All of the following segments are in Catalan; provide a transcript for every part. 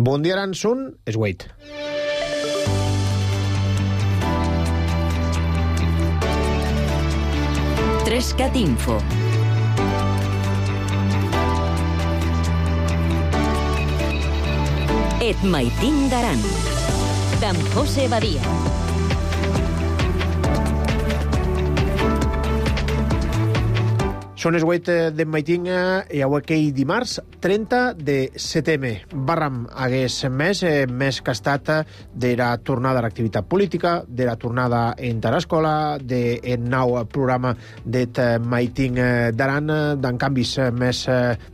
Bon dia, Aransun, és Wade. Trescat Info. Et maitin d'Aran, d'en José Badia. Són els 8 de maitin i avui aquell dimarts 30 de setembre. Barram hagués més que ha estat de la tornada a l'activitat política, de la tornada en l'escola, del nou programa d'et maitin d'Aran, d'en canvis més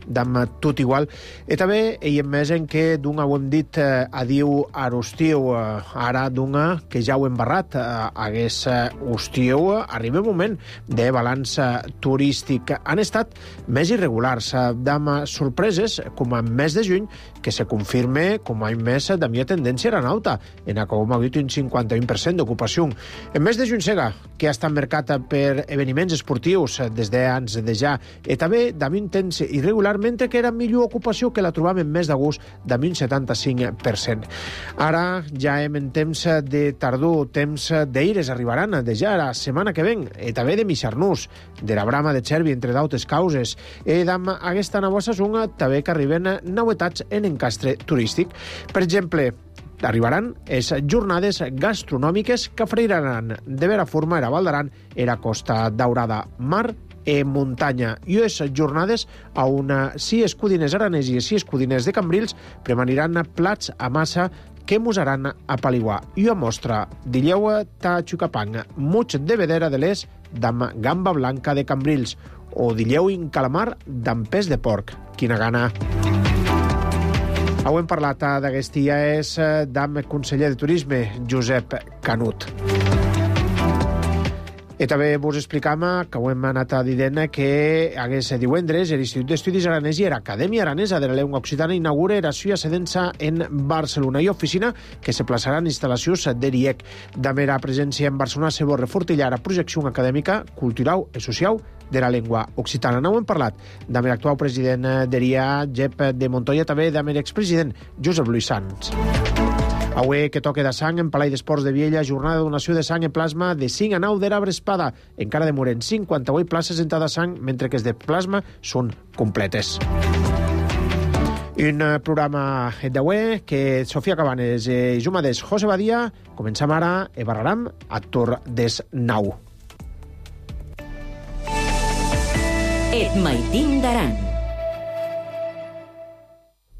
d'am tot igual. I també hi ha més en què d'un ho hem dit adiu a l'estiu, ara d'un que ja ho hem barrat, hagués estiu, arriba un moment de balanç turístic. Han estat més irregulars, d'am sorpreses, com a mes de juny, que se confirme com a més de mi tendència aeronauta, en com ha dit un 51% d'ocupació. En mes de juny sega, que ha estat marcat per esdeveniments esportius des d'anys de ja, i també de mi temps irregular, mentre que era millor ocupació que la trobam en mes d'agost de un 75%. Ara ja hem en temps de tardor, temps d'eires arribaran de ja la setmana que ven, i també de mixar-nos, de la brama de Xervi, entre d'altres causes. I d'am aquesta nova saison també que arriben novetats en encastre turístic. Per exemple, arribaran les jornades gastronòmiques que oferiran de vera forma a Val d'Aran, a la Costa Daurada, mar i muntanya. I les jornades on 6 codines aranès i 6 codines de Cambrils premaniran plats a massa que musaran a Paliguà. I a mostra dilleu ta Xucapang, muig de vedera de l'est d'am gamba blanca de Cambrils, o dilleu in calamar d'am pes de porc. Quina gana! Hem parlat d'aquest dia és d'am conseller de Turisme, Josep Canut. I també vos explicam que ho hem anat dient que hagués divendres l'Institut d'Estudis Aranès i l'Acadèmia Aranesa de la Llengua Occitana inaugura la suya sedença en Barcelona i oficina que se plaçarà en instal·lacions de l'IEC. De mera presència en Barcelona se vol refortillar la projecció acadèmica, cultural i social de la llengua occitana. No ho hem parlat de l'actual president de l'IA, Jep de Montoya, també de l'expresident Josep Luis Sans. Avui que toque de sang en Palau d'Esports de Viella, jornada de donació de sang en plasma de 5 a 9 d'Arbre Espada. Encara demoren 58 places en de sang, mentre que els de plasma són completes. Un programa d'avui que Sofia Cabanes i Jumades José Badia començam ara i barraram a Tor des 9. Et maitin d'Aran.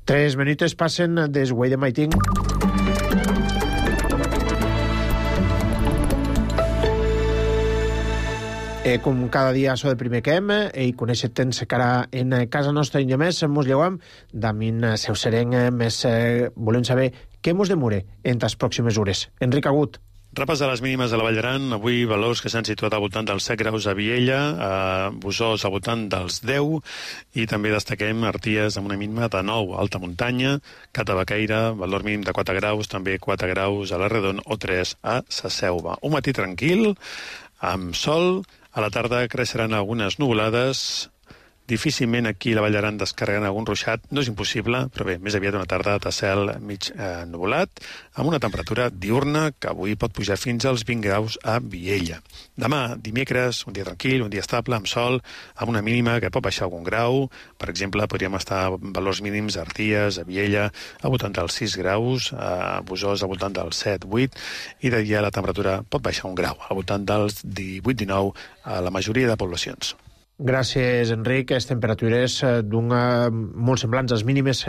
3 minuts passen des Wade de Maitin. Com cada dia so de primer que hem, i conèixer temps que ara en casa nostra i més mos lleuam, d'amin seu sereng més volem saber què mos demore en les pròximes hores. Enric Agut. Repàs de les mínimes de la Vall d'Aran, avui valors que s'han situat al voltant dels 7 graus a Viella, a Busòs al voltant dels 10, i també destaquem Arties amb una mínima de 9, alta muntanya, Catabaqueira, valor mínim de 4 graus, també 4 graus a la Redon o 3 a Sa Selva. Un matí tranquil, amb sol, a la tarda creixeran algunes nuvolades. Difícilment aquí a la Vall d'Aran descarregant algun ruixat. No és impossible, però bé, més aviat una tarda de cel mig nuvolat, amb una temperatura diurna que avui pot pujar fins als 20 graus a Viella. Demà, dimecres, un dia tranquil, un dia estable, amb sol, amb una mínima que pot baixar algun grau. Per exemple, podríem estar a valors mínims a Arties, a Viella, al voltant dels 6 graus, a Busòs al voltant dels 7-8, i de dia la temperatura pot baixar un grau, al voltant dels 18-19 a la majoria de poblacions. Gràcies, Enric. Les temperatures molt semblants als mínimes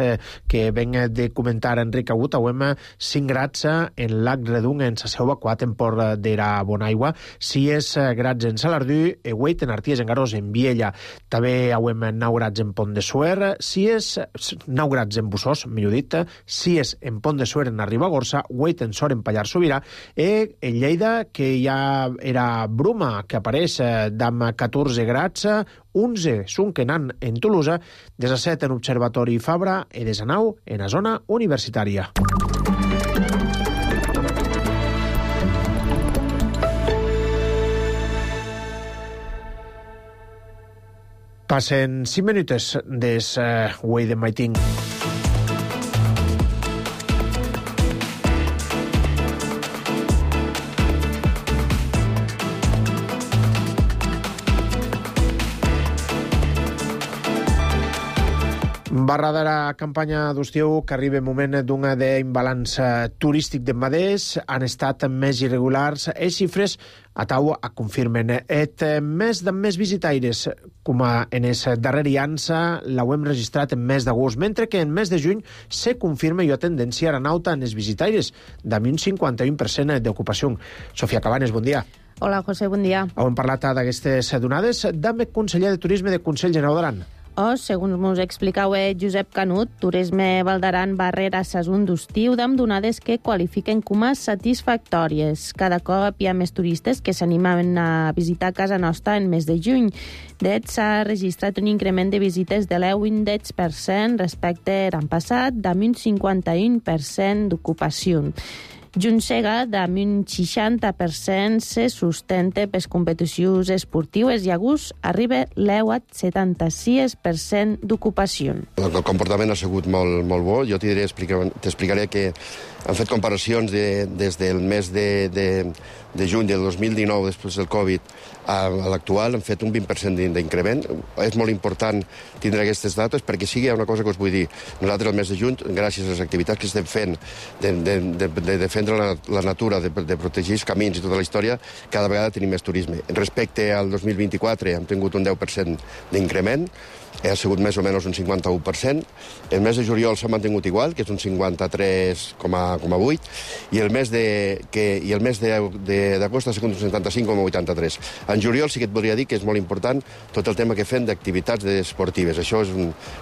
que venc de comentar Enric Agut. Avem 5 grads en Lac Redung, en Sa Selva, 4 en Port de la Bonaigua, 6 grads en Salardú, 8 en Arties, en Garós, en Viella. També avem 9 grads en Pont de Suert, 9 grads en Busòs, millor dit, 6 en Pont de Suert, en Ribagorça, 8 en Sort, en Pallars Sobirà, i en Lleida, que ja era bruma, que apareix d'amb 14 grads, 11 Sunkenan en Tolosa, 17 en Observatori Fabra i 19 en la zona universitària. Passen 5 minuts des Wade de Maitin. Barra de la campanya d'estiu, que arriba el moment d'un d'imbalanç turístic de Madès, han estat més irregulars. Les xifres a tau confirmen. Et mes de més visitaires, com en el darrer llança, l'ho hem registrat en mes d'agost, mentre que en mes de juny se confirma i tendència a nauta en els visitaires, d'ami un 51% d'ocupació. Sofia Cabanes, bon dia. Hola, José, bon dia. Hem parlat d'aquestes donades amb el conseller de Turisme del Consell Generau d'Aran. Segons ens explicau Josep Canut, Turisme Val d'Aran va rere sason d'estiu amb donades que qualifiquen com a satisfactòries. Cada cop hi ha més turistes que s'animen a visitar casa nostra en mes de juny. S'ha registrat un increment de visites de l'10% respecte a l'any passat, amb un 51% d'ocupació. Juntsega, amb un 60%, se sustenta per competicions esportives i agost arriba l'76% d'ocupació. El comportament ha sigut molt bo. Jo t'explicaré que han fet comparacions des del mes de juny del 2019, després del Covid, a l'actual, han fet un 20% d'increment. És molt important tindre aquestes dates perquè sigui una cosa que us vull dir. Nosaltres, al mes de juny, gràcies a les activitats que estem fent de defendre la natura, de protegir els camins i tota la història, cada vegada tenim més turisme. Respecte al 2024 hem tingut un 10% d'increment, ha sigut més o menys un 51%. El mes de juliol s'ha mantingut igual, que és un 53,8%, i el mes d'agost ha sigut un 75,83%. En juliol sí que et voldria dir que és molt important tot el tema que fem d'activitats esportives. Això és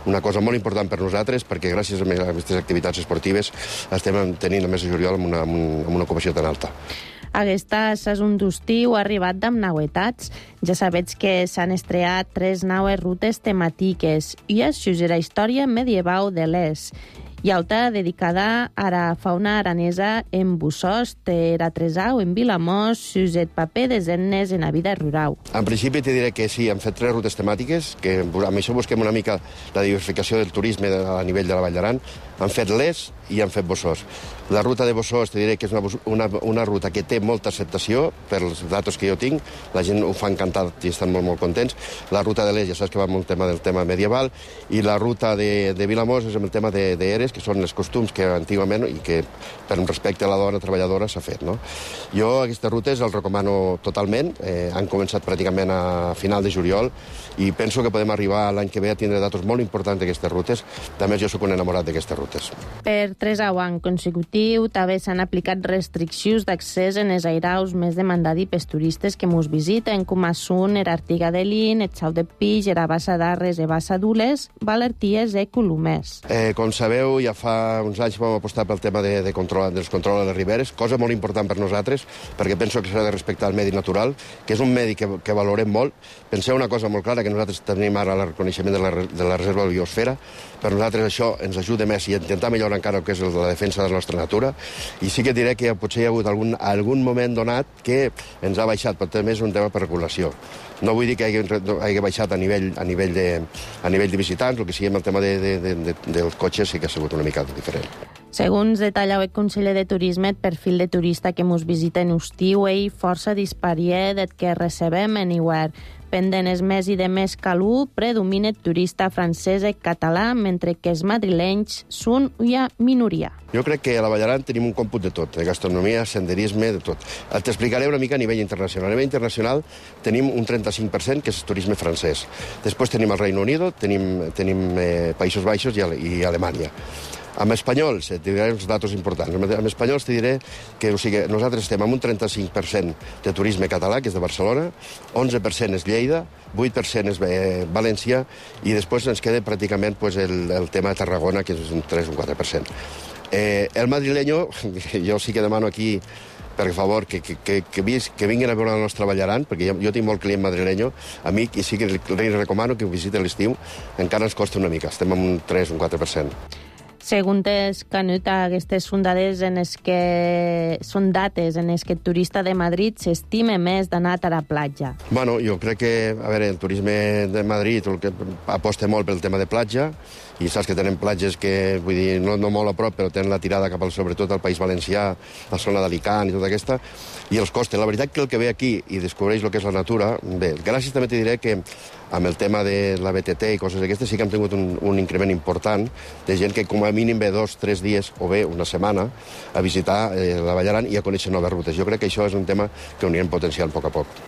una cosa molt important per nosaltres, perquè gràcies a aquestes activitats esportives estem tenint el mes de juliol amb una ocupació tan alta. Aquesta sason d'estiu ha arribat amb novetats. Ja sabets que s'han estreat 3 noves rutes temàtiques i es la història medieval de l'Es. Hi ha altra dedicada a la fauna aranesa en Bussost, a Tresau, en Vilamós, Suset paper de zennes en la vida rural. En principi te diré que sí, hem fet 3 rutes temàtiques, que amb això busquem una mica la diversificació del turisme a nivell de la Vall d'Aran. Han fet l'Es i han fet Bussost. La ruta de Bussost te diré que és una ruta que té molta acceptació per els datos que jo tinc. La gent ho fa encantat i estan molt contents. La ruta de l'Es ja saps que va amb el tema medieval, i la ruta de Vilamós és amb el tema d'Eres, que són els costums que antigament i que per un respecte a la dona treballadora s'ha fet, no? Jo aquestes rutes els recomano totalment. Han començat pràcticament a final de juliol i penso que podem arribar l'any que ve a tindre datos molt importants d'aquestes rutes. A més, jo sóc un enamorat d'aquestes rutes. Per 3 anys consecutiu també s'han aplicat restriccions d'accés en els airaus més demandats pels turistes que mos visiten, com són l'Artiga de Lin, el Xau de Pix, la Bassa d'Arres, la Bassa d'Ules, Valerties i Colomers. Com sabeu, ja fa uns anys vam apostar pel tema dels controls a les riberes, cosa molt important per nosaltres, perquè penso que s'ha de respectar el medi natural, que és un medi que valorem molt. Penseu una cosa molt clara, que nosaltres tenim ara el reconeixement de la reserva de la biosfera. Per nosaltres això ens ajuda més i intentar millorar encara el que és la defensa de la nostra natura. I sí que diré que potser hi ha hagut algun moment donat que ens ha baixat, però també és un tema per regulació. No vull dir que hagi baixat a nivell de visitants, el que sigui amb el tema dels cotxes sí que ha sigut una mica diferent. Segons detalla el conseller de Turisme, el perfil de turista que mos visita en estiu és força disparia del que recebem en hivern. Pendent és més i de més calor, predomina el turista francès i català, mentre que els madrilenys són una minoria. Jo crec que a la Vall d'Aran tenim un còmput de tot, de gastronomia, senderisme, de tot. T'explicaré una mica a nivell internacional. A nivell internacional tenim un 35% que és turisme francès. Després tenim el Reino Unido, tenim Països Baixos i Alemanya. Amb espanyols, et diré uns datos importants. Amb espanyols te diré que nosaltres estem amb un 35% de turisme català, que és de Barcelona, 11% és Lleida, 8% és València, i després ens queda pràcticament el tema de Tarragona, que és un 3 o un 4%. El madrileño, jo sí que demano aquí, per favor, que vinguin a veure la nostra Vall d'Aran, perquè jo tinc molt client madrilenyo, a mi sí que li recomano que ho visiti l'estiu, encara ens costa una mica, estem amb un 3 o un 4%. Segons Canut, aquestes són dates en les que el turista de Madrid s'estima més d'anar a la platja. Bueno, jo crec que, el turisme de Madrid aposta molt pel tema de platja, i saps que tenen platges que, vull dir, no molt a prop, però tenen la tirada cap al, sobretot al País Valencià, la zona d'Alicant i tota aquesta, i els costa. La veritat que el que ve aquí i descobreix el que és la natura, bé, gràcies també te diré que amb el tema de la BTT i coses d'aquestes sí que hem tingut un increment important de gent que com a mínim ve 2 o 3 dies o bé una setmana a visitar la Vall d'Aran i a conèixer noves rutes. Jo crec que això és un tema que ho anirem potenciant a poc a poc.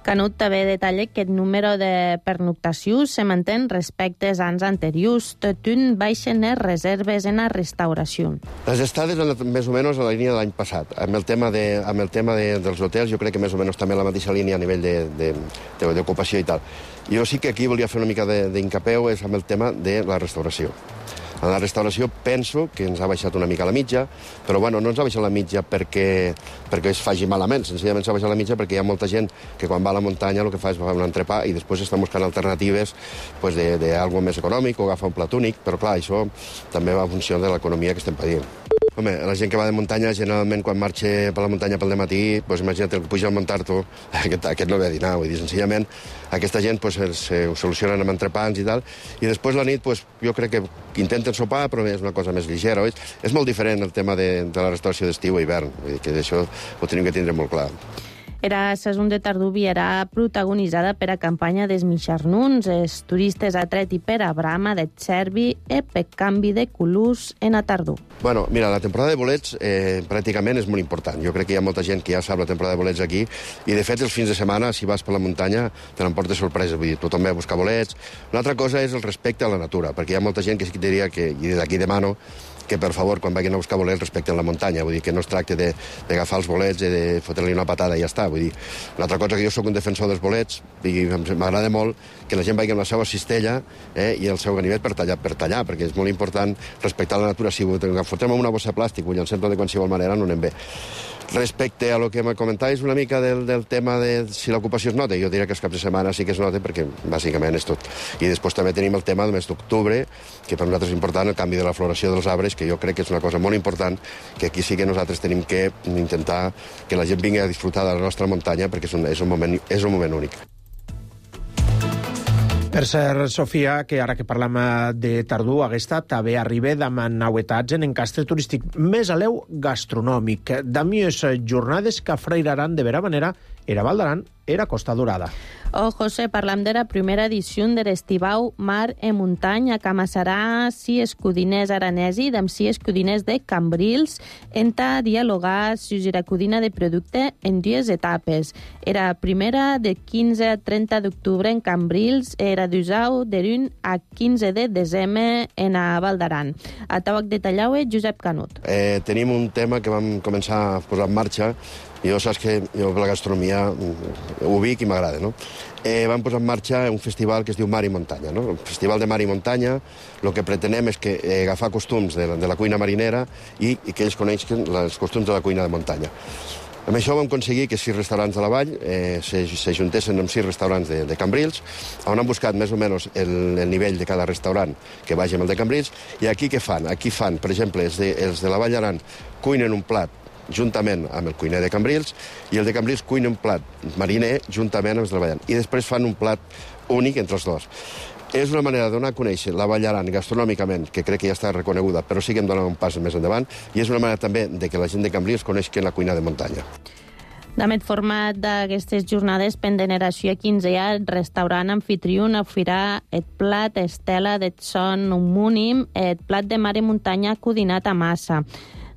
Canut també detalla que el número de pernoctacions se manté respecte als anys anteriors, tot un baixen les reserves en la restauració. Les estades més o menys a la línia de l'any passat. Amb el tema dels hotels jo crec que més o menys també la mateixa línia a nivell d'ocupació i tal. Jo sí que aquí volia fer una mica d'incapeu és amb el tema de la restauració. En la restauració penso que ens ha baixat una mica la mitja, però bueno, no ens ha baixat la mitja perquè es faci malament, senzillament s'ha baixat la mitja perquè hi ha molta gent que quan va a la muntanya el que fa és agafar un entrepà i després estan buscant alternatives pues, d'algo més econòmic o agafar un plat únic, però clar, això també va en funció de l'economia que estem patint. Home, la gent que va de muntanya, generalment, quan marxa per la muntanya pel dematí, pues, imagina't, el que puja al Montarto, aquest no ve a dinar, vull dir, senzillament, aquesta gent pues, ho solucionen amb entrepans i tal, i després la nit, pues, jo crec que intenten sopar, però és una cosa més ligera. És molt diferent el tema de la restauració d'estiu i hivern, vull dir que això ho tenim que tindre molt clar. Era saison de tardor era protagonitzada per a campanya dels Mixarnuns, els turistes atreti per a brama de cervi i per canvi de colors en a tardor. Bueno, mira, la temporada de bolets pràcticament és molt important. Jo crec que hi ha molta gent que ja sap la temporada de bolets aquí i, de fet, els fins de setmana, si vas per la muntanya, te n'emportes sorpresa. Vull dir, tothom ve a buscar bolets. Una altra cosa és el respecte a la natura, perquè hi ha molta gent que sí que diria que, i des d'aquí demano, que per favor, quan vagin a buscar bolets, respecten la muntanya. Vull dir que no es tracta d'agafar els bolets i de fotre-li una patada i ja està. Vull dir, una altra cosa que jo sóc un defensor dels bolets i m'agrada molt que la gent vagi amb la seva cistella i el seu ganivet per tallar, perquè és molt important respectar la natura. Si ho fotem en una bossa de plàstic, ho llancem de qualsevol manera, no anem bé. Respecte a lo que me comentaves una mica del tema de si l'ocupació es nota, jo diria que els caps de setmana sí que es nota perquè bàsicament és tot. I després també tenim el tema del mes d'octubre, que per nosaltres és important el canvi de la floració dels arbres, que jo crec que és una cosa molt important, que aquí sí que nosaltres tenim que intentar que la gent vingui a disfrutar de la nostra muntanya perquè és un moment únic. Per cert, Sofia, que ara que parlem de tardor, aquesta també arriba amb novetats en encastre turístic més a l'eu gastronòmic. D'amiós jornades que afrairaran de vera manera era Val d'Aran, era Costa Dorada. Oh, José, parlam de la primera edició de l'Estivau Mar e Muntanya, que amassarà 6 escudiners aranesi amb 6 escudiners de Cambrils, enta dialogar sobre la codina de producte en 2 etapes. Era primera de 15 a 30 d'octubre en Cambrils, era d'usau de 1 a 15 de desembre en a Val d'Aran. A Tabac de Tallau, Josep Canut. Tenim un tema que vam començar a posar en marxa. Jo saps que jo la gastronomia ho vic i m'agrada, no? Vam posar en marxa un festival que es diu Mar i Muntanya, no? El Festival de Mar i Muntanya, el que pretenem és que agafar costums de la cuina marinera i que ells coneixen els costums de la cuina de muntanya. Amb això vam aconseguir que 6 restaurants de la vall s'ajuntessin amb 6 restaurants de Cambrils, on han buscat més o menys el nivell de cada restaurant que vagi amb el de Cambrils, i aquí què fan? Aquí fan, per exemple, els de la Vall d'Aran cuinen un plat juntament amb el cuiner de Cambrils, i el de Cambrils cuina un plat mariner juntament amb els de la Vall d'Aran. I després fan un plat únic entre els dos. És una manera de donar a conèixer la Vall d'Aran gastronòmicament, que crec que ja està reconeguda, però sí que hem donat un pas més endavant, i és una manera també de que la gent de Cambrils coneixi la cuina de muntanya. Damet format d'aquestes jornades pendeneració a 15 el restaurant anfitrió oferirà el plat estela de son homònim, el plat de mar i muntanya codinat a massa.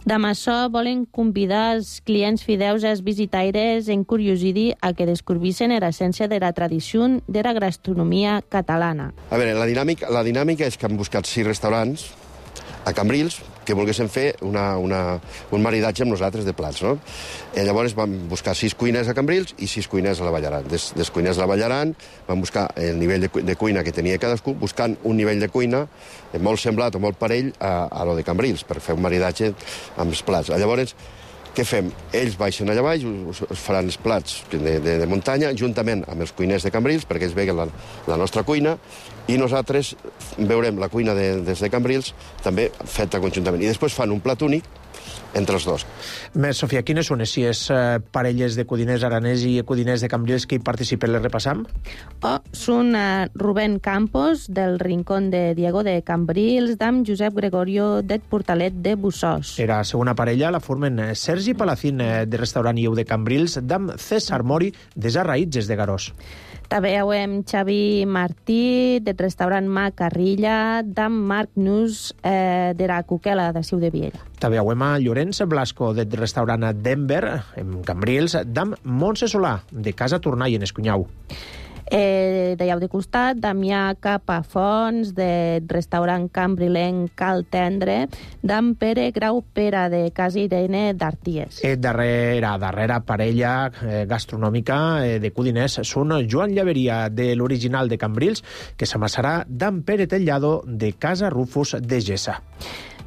Damb això volen convidar els clients fideus i els visitaires en curiosidi a que descobreixen l'essència de la tradició de la gastronomia catalana. A veure, la dinàmica és que han buscat 6 restaurants a Cambrils que volguessin fer un maridatge amb nosaltres de plats, no? Llavors vam buscar 6 cuiners a Cambrils i 6 cuiners a la Vall d'Aran. Dels cuiners de la Vall d'Aran vam buscar el nivell de cuina que tenia cadascú, buscant un nivell de cuina molt semblat o molt parell a lo de Cambrils, per fer un maridatge amb els plats. Llavors, què fem? Ells baixen allà baix, us faran els plats de muntanya, juntament amb els cuiners de Cambrils, perquè ells veguen la nostra cuina, i nosaltres veurem la cuina des de Cambrils també feta conjuntament. I després fan un plat únic, entre els dos. Més, Sofia, quines són si parelles de codiners aranès i codiners de Cambrils que hi participen? Les repassam? Són Rubén Campos, del Rincón de Diego de Cambrils, d'am Josep Gregorio del Portalet de Bussós. Era segona parella la formen Sergi Palacín, de Restaurant Ieu de Cambrils, d'am César Mori, de Sarraïtges de Garós. També hem Xavi Martí, del restaurant Macarrilla, d'am Marc Nus, de la Cuquela, de Ciu de Viella. També hem Llorenç Blasco, del restaurant Denver, en Cambrils, d'am Montse Solà, de Casa Tornai, en Escunyau. D'allà de costat, Damià Capafons, de restaurant cambrilenc Cal Tendre, d'en Pere Grau Pera, de Casa Irene d'Arties. Darrera parella gastronòmica de codiners són Joan Llaveria, de l'original de Cambrils, que s'amassarà d'en Pere Tellado, de Casa Rufus de Gessa.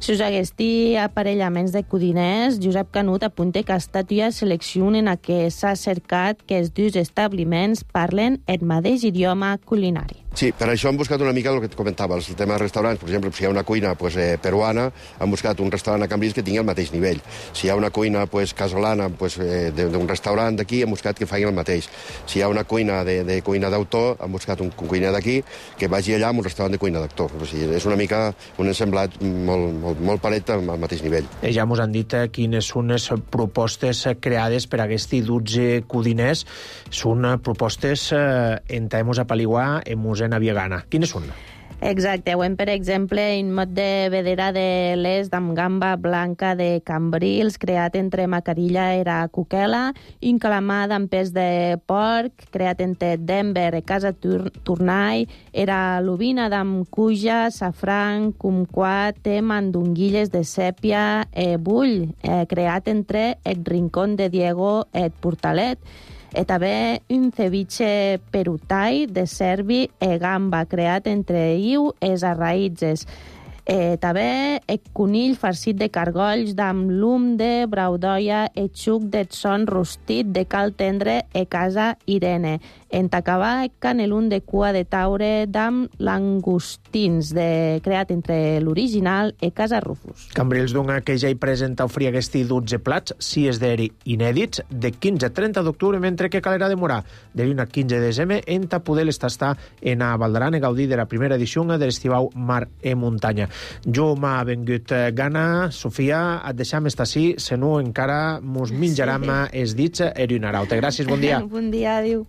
Si us haguesti aparellaments de codiners, Josep Canut apunta que estatuia seleccionen a què s'ha cercat que els dos establiments parlen el mateix idioma culinari. Sí, per això hem buscat una mica el que et comentava, el tema de restaurants. Per exemple, si hi ha una cuina peruana, hem buscat un restaurant a Cambrils que tingui el mateix nivell. Si hi ha una cuina casolana d'un restaurant d'aquí, hem buscat que facin el mateix. Si hi ha una cuina de cuina d'autor, hem buscat un cuiner d'aquí que vagi allà amb un restaurant de cuina d'actor. O sigui, és una mica un ensemblat molt paret al mateix nivell. Ja ens han dit quines són les propostes creades per aquests 12 codiners. Són propostes en temps a Paliguà, en Musena Viegana. Quines són? Exacte. Ho hem, per exemple, un mot de vedera de l'est amb gamba blanca de Cambrils, creat entre Macarilla i Cuquela, un calamar amb pes de porc, creat entre Denver i Casa Tornai, era l'ovina d'amb cuja, safran, cumquat, mandonguilles de sèpia, bull, creat entre el Rincón de Diego i el Portalet. També un ceviche perutai de cervi e gamba, creat entre Iu i Sarraïtges. També el conill farcit de cargolls d'amb lum de braudoia e xuc de son rostit de Cal Tendre e Casa Irene. En acabar, el canelun de cua de taure d'amb langustins, creat entre l'original e Casa Rufus. Cambrils dona que ja hi presenta ofrir aquests 12 plats, si és d'eri inèdits, de 15 a 30 d'octubre, mentre que calera demorar de l'1 a 15 de desembre en poder estar en a Valdaran i gaudir de la primera edició de l'estivau Mar e Muntanya. Jo m'ha vengut gana, Sofia, et deixam estar així, se no encara mos menjarem els dits erionarau. Gràcies, bon dia. Bon dia, adiu.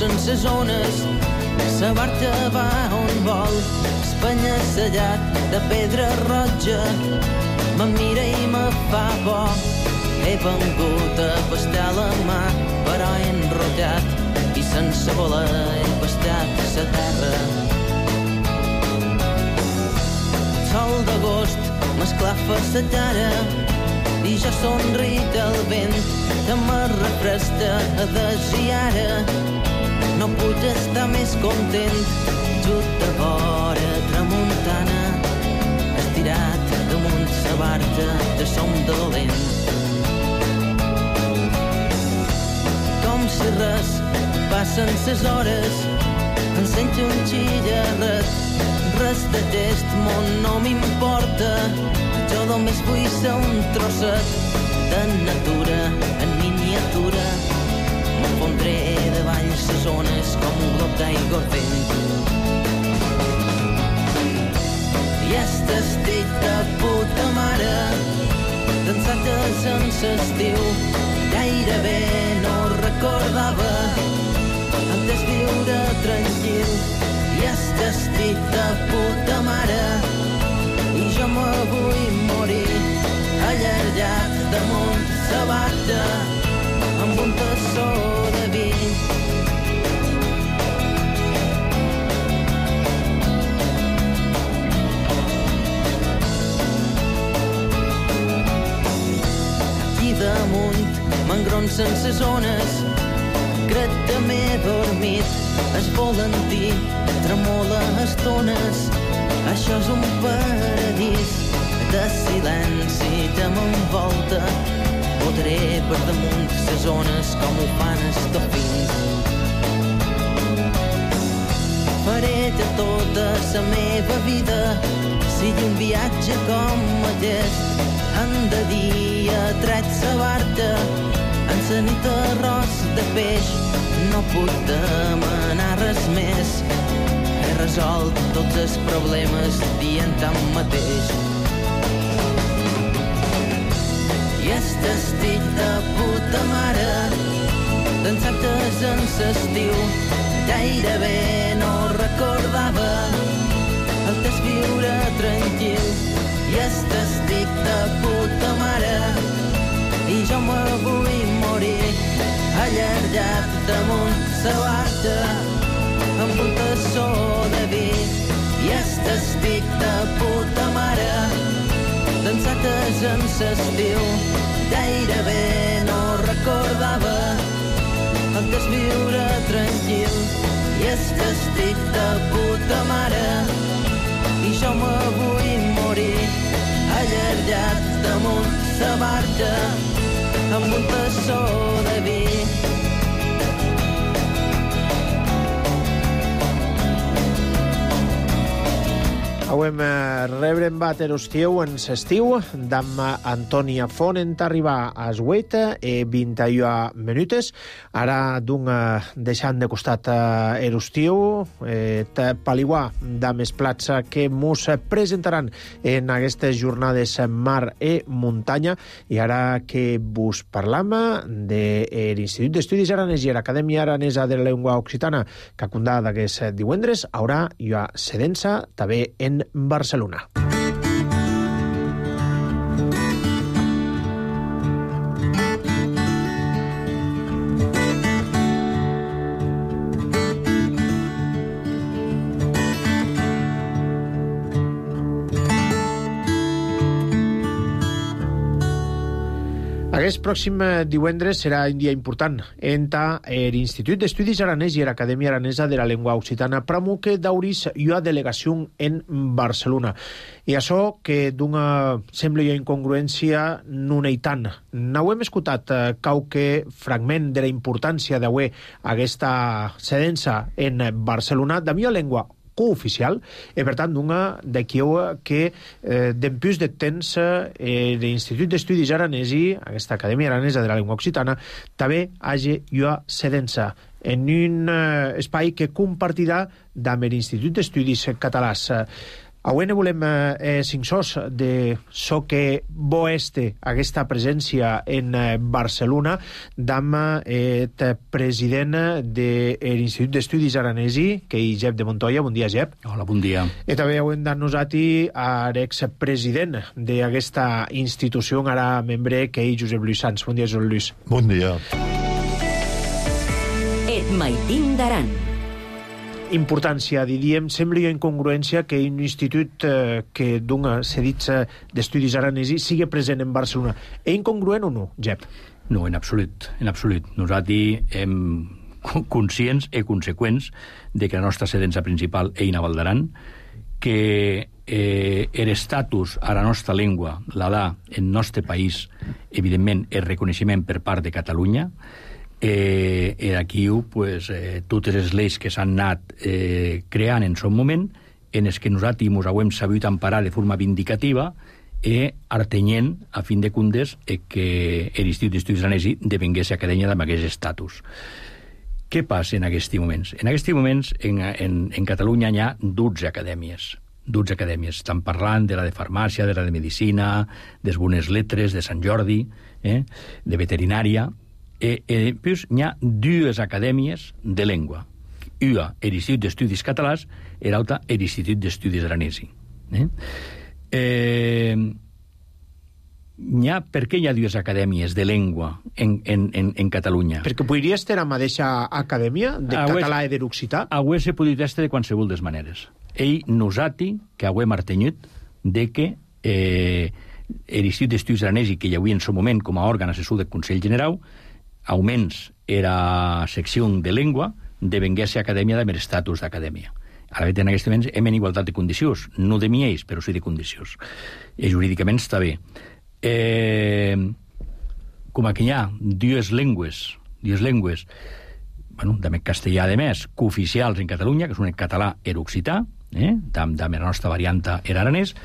sense zones, sa barca va on vol, espanya-sellat de pedra roja, me mira i me fa por. He vengut a pastar la mà, però he enrotllat i sense voler he pastat sa terra. El sol d'agost m'esclafa sa cara i jo somric al vent que me refresca a desir. No puc estar més content, just de vora tramuntana, estirat damunt sa barca de som dolent. Com si res, passen ses hores, em sento un xillarret, res de gest, món no m'importa, jo només vull ser un trosset de natura en miniatura. M'enfondré davall ses ones com un glob d'aigua vent. I estic de puta mare, dansates en s'estiu, gairebé no recordava antes viure tranquil. I estic de puta mare, i jo me vull morir allargat damunt sa barca amb un tassó de vi. som sense zones. Crec que m'he dormit, es volantí tremola estones. Això és un paradís de silenci que m'envolta. Votaré per damunt les zones com ho fan els dofins. Faré de tota la meva vida sigui un viatge com aquest. En de dia tret la barca, en la nit arròs de peix. No puc demanar res més. He resolt tots els problemes dient tant mateix. I estic de puta mare d'ensactes en l'estiu. Gairebé no recordava el que és viure tranquil. I estic de puta mare i jo me vull morir allargat damunt la barca amb un tassó de vi. I estic de puta mare d'ensactes en l'estiu. Gairebé no recordava el que és viure tranquil. I estic de puta mare i jo me vull morir allargat damunt la barca amb un tassó de vi. Auem rebre en bat erostiu en s'estiu d'amma Antònia Font en arribar a 8:21 minutes. Ara d'un deixant de costat erostiu paliguar de més plats que mos presentaran en aquestes jornades mar i muntanya. I ara que vos parlam de l'Institut d'Estudis Aranès i l'Acadèmia Aranesa de la Llengua Occitana que acundà d'aquest divendres, haurà hi ha sedença també en Barcelona. Aquest pròxim divendres serà un dia important enta l'Institut d'Estudis Aranès i l'Acadèmia Aranesa de la Llengua Occitana pramuque d'auris ua delegació en Barcelona. I això que d'una sembla jo incongruència non hi tant. N'hauem escoltat qualque fragment de la importància d'avui aquesta sedença en Barcelona de mia llengua cooficial, i per tant d'una d'aquí que d'empús de temps l'Institut d'Estudis Aranesi, aquesta Acadèmia Aranesa de la Llengua Occitana, també hagi ua sedença en un espai que compartirà amb l'Institut d'Estudis Catalans. Avui ne volem cinc-sos de so que bo este aquesta presència en Barcelona d'amb el president de l'Institut d'Estudis Aranesi, que és Jep de Montoya. Bon dia, Jep. Hola, bon dia. I també hem d'annosati a l'expresident d'aquesta institució, ara membre, que és Josep Lluís Sans. Bon dia, Josep Lluís. Bon dia. Et maitim d'Aran. Importància, diríem, sembla incongruència que un institut que dona cedits d'estudis aranesi sigui present en Barcelona. És incongruent o no, Jep? No, en absolut, en absolut. Nosaltres hem conscients i conseqüents de que la nostra sedença principal és a Val d'Aran, que l'estatus a la nostra llengua la dà en el nostre país, evidentment, el reconeixement per part de Catalunya. Aquí pues, totes les lleis que s'han anat creant en son moment, en els que nosaltres ens hem sabut emparar de forma vindicativa artenyent, a fin de comptes, que l'Institut d'Estudis Aranesi devengués acadèmia amb aquest estatus. Què passa en aquests moments? En aquests moments, en Catalunya hi ha 12 acadèmies. 12 acadèmies. Estan parlant de la de farmàcia, de la de medicina, de les bones lletres, de Sant Jordi, de veterinària. Pues, hi ha dues acadèmies de llengua. Una, l'Institut d'Estudis Catalans, i l'altra, l'Institut d'Estudis Aranesi. Per què hi ha dues acadèmies de llengua en Catalunya? Perquè podria estar a la mateixa acadèmia de català i de l'occità? Avui se podria estar de qualsevol des maneres. Nosaltres, que avui hem artenyut de que l'Institut d'Estudis Aranesi, que hi havia en el moment com a òrgan assessor del Consell General, auments era secció de llengua, devengués acadèmia de mer estatus d'acadèmia. Ara, en aquest moment, hem en igualtat de condicions. No de miells, però sí de condicions. I jurídicament està bé. Com que hi ha dues llengües, bueno, de castellà de més, cooficials en Catalunya, que són en català i occità, de la nostra varianta era aranès,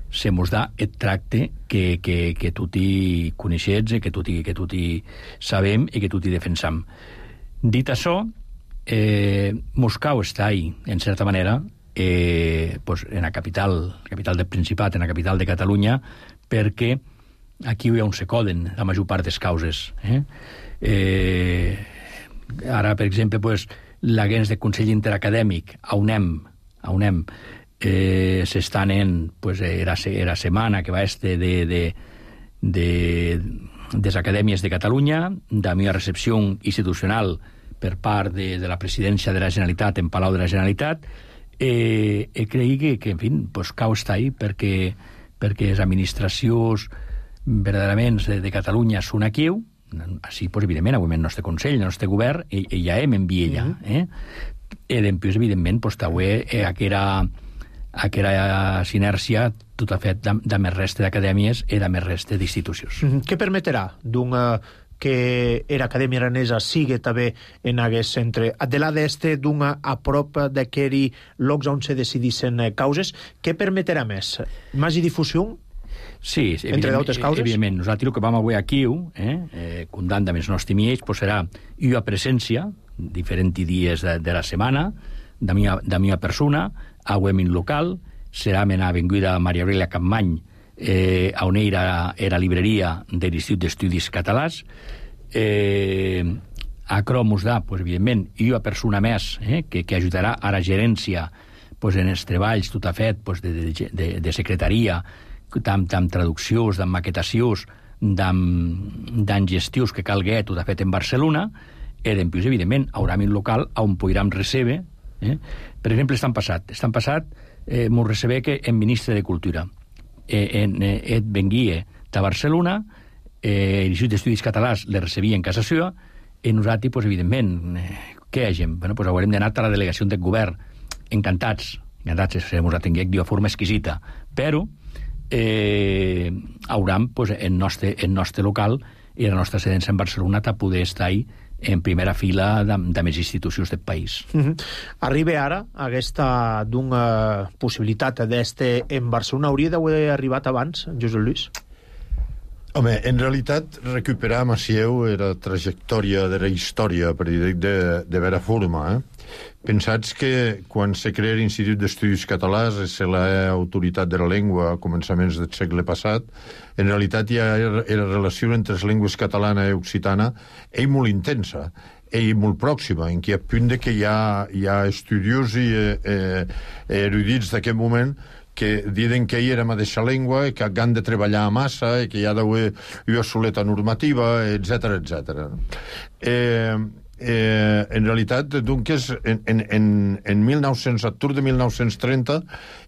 se mos da el tracte que tutti coneixets, que tutti sabem i que tutti defensam. Dit això, Moscou està ahí, en certa manera, en la capital del Principat, en la capital de Catalunya, perquè aquí on se coden la major part des causes. Ara, per exemple, l'agents de Consell Interacadèmic, a UNEM, s'estan en era setmana que va de les acadèmies de Catalunya, de la meva recepció institucional per part de la presidència de la Generalitat en Palau de la Generalitat, creigui que, en fi, cau està ahí perquè les administracions verdaderament de Catalunya són aquí, així, evidentment, avui el nostre Consell, el nostre govern, i ja hem enviat allà. I després, evidentment, aquella sinèrcia tot ha fet de més resta d'acadèmies i de més resta d'institucions. Què permetrà que era Acadèmia Aranesa sigui també en aquest centre? De la d'este d'una a prop d'aquells llocs on se decidissin causes, què permetrà més? Més difusió? Sí, entre d'altres causes? Evidentment. Nosaltres el que vam avui aquí, comptant amb els nostres miells, serà una presència, diferents dies de la setmana, de meva persona, avui en local, serà en l'avinguda Maria Aurelia Capmany, on era la libreria de l'Institut d'Estudis Catalans. A Cromos da, evidentment, una persona més que ajudarà a la gerència en els treballs tot ha fet de secretaria, amb traduccions, amb maquetacions, amb gestions que calgui tot ha fet en Barcelona, i després, evidentment, haurà un local on podrem recebre. Per exemple, estan passat, m'ho recebé que en ministre de Cultura venguia de Barcelona, l'Institut d'Estudis Catalans le recebia en casa seva, i nosaltres, evidentment, què hagem? Haurem d'anar a la delegació del govern, encantats, se mos atenguem d'una forma exquisita, però hauram en nostre local i la nostra sedència en Barcelona a poder estar en primera fila de més institucions del país. Arriba ara aquesta d'una possibilitat d'este en Barcelona. Hauria d'haver arribat abans, Josep Lluís? Home, en realitat, recuperar Macieu era trajectòria de la història, per dir de vera forma. Pensats que quan se crea l'Institut d'Estudis Catalans, és l'autoritat de la llengua a començaments del segle passat, en realitat hi ha la relació entre les llengües catalana i occitana és molt intensa, és molt pròxima, en què a punt que hi ha estudiosi erudits d'aquest moment que diuen que hi era la mateixa llengua i que han de treballar a massa i que hi ha d'haver una soleta normativa, etc. En realitat, doncs, en 1900, a de 1930,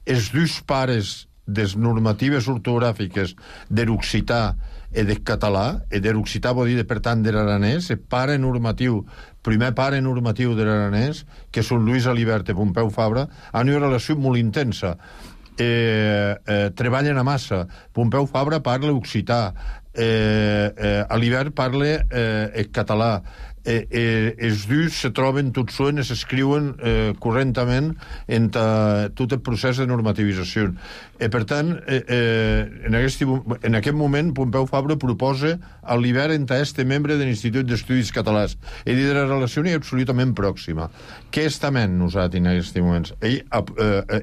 els dos pares de les normatives ortogràfiques de l'occità i del català, i de l'occità vol dir, per tant, de l'aranès, el primer pare normatiu de l'aranès, que són Lluís Alibert i Pompeu Fabra, han una relació molt intensa. Treballen a massa. Pompeu Fabra parla occità, Alibert parla català. Els dos se troben tots solen, s'escriuen correntament en tot el procés de normativització. Per tant, en aquest moment, Pompeu Fabra proposa a l'Alibert entre este membre de l'Institut d'Estudis Catalans. I de la relació és absolutament pròxima. Què estem nosaltres en aquests moments?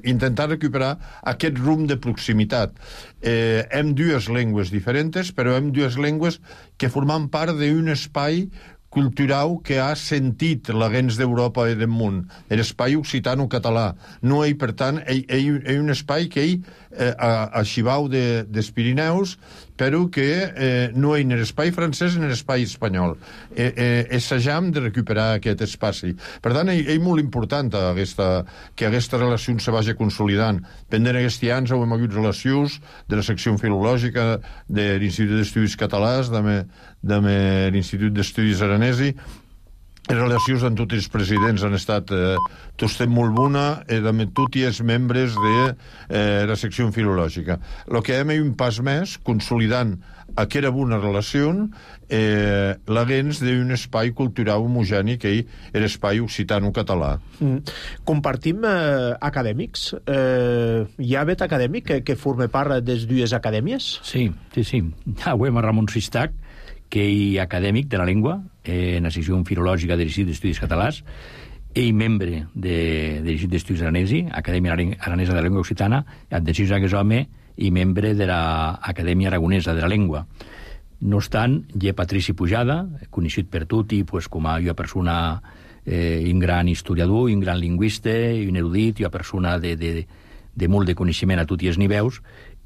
Intentar recuperar aquest rumb de proximitat. Hem dues llengües diferents, però hem dues llengües que formen part d'un espai cultural que ha sentit la gens d'Europa i del món, l'espai occitano-català. No hi, per tant, hi ha un espai que hi, a Xibau dels Pirineus, però que no hi ha espai francès ni espai espanyol. Assajam de recuperar aquest espai. Per tant, és molt important que aquesta relació se vagi consolidant. Pendent aquests anys hem hagut relacions de la secció filològica de l'Institut d'Estudis Catalans, de l'Institut d'Estudis Aranesi. Les relacions amb tots els presidents han estat tots molt bona i amb tots els membres de la secció filològica. El que hem un pas més, consolidant aquella bona relació, l'agens d'un espai cultural homogeni que és l'espai occitano-català. Compartim acadèmics? Hi ha vet acadèmic que forma part de les dues acadèmies? Sí. Avui a Ramon Sistac, que és acadèmic de la llengua, en la secció filològica de l'Institut d'Estudis Catalans, ell membre de l'Institut d'Estudis Aranesi, Acadèmia Aranesa de la Llengua Occitana, adhesió a aquest home i membre de l'Acadèmia Aragonesa de la Llengua. No obstant, hi ha Patrici Pujada, coneixut per tutti com a una persona, un gran historiador, un gran lingüista, un erudit, una persona de molt de coneixement a tots els nivells.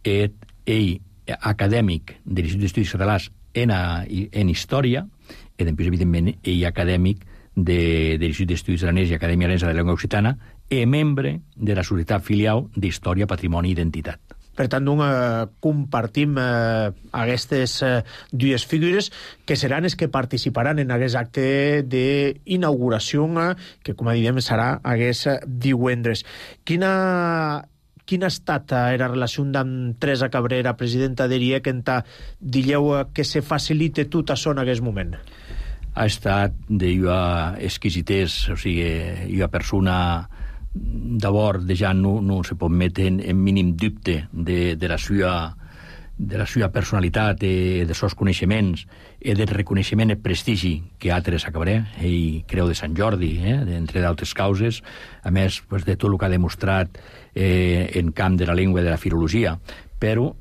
Ell, acadèmic de l'Institut d'Estudis Catalans en història, i després, evidentment, ell acadèmic de l'Institut d'Estudis Aranesi i Acadèmia Aranesa de la Llengua Occitana i membre de la Societat Filial d'Història, Patrimoni i Identitat. Per tant, compartim aquestes dues figures que seran les que participaran en aquest acte d'inauguració que, com diem, serà aquest divendres. Quina ha estat la relació amb Teresa Cabrera, presidenta d'ERIEC, en dilleu que se facilite tot això en aquest moment? Ha estat d'una exquisitès, o sigui, una persona d'abord ja no se pot metre en mínim dubte de la seva personalitat, de seus coneixements i del reconeixement i prestigi que ha Teresa Cabrera, ell Creu de Sant Jordi, entre d'altres causes, a més de tot el que ha demostrat en camp de la llengua i de la filologia. Però,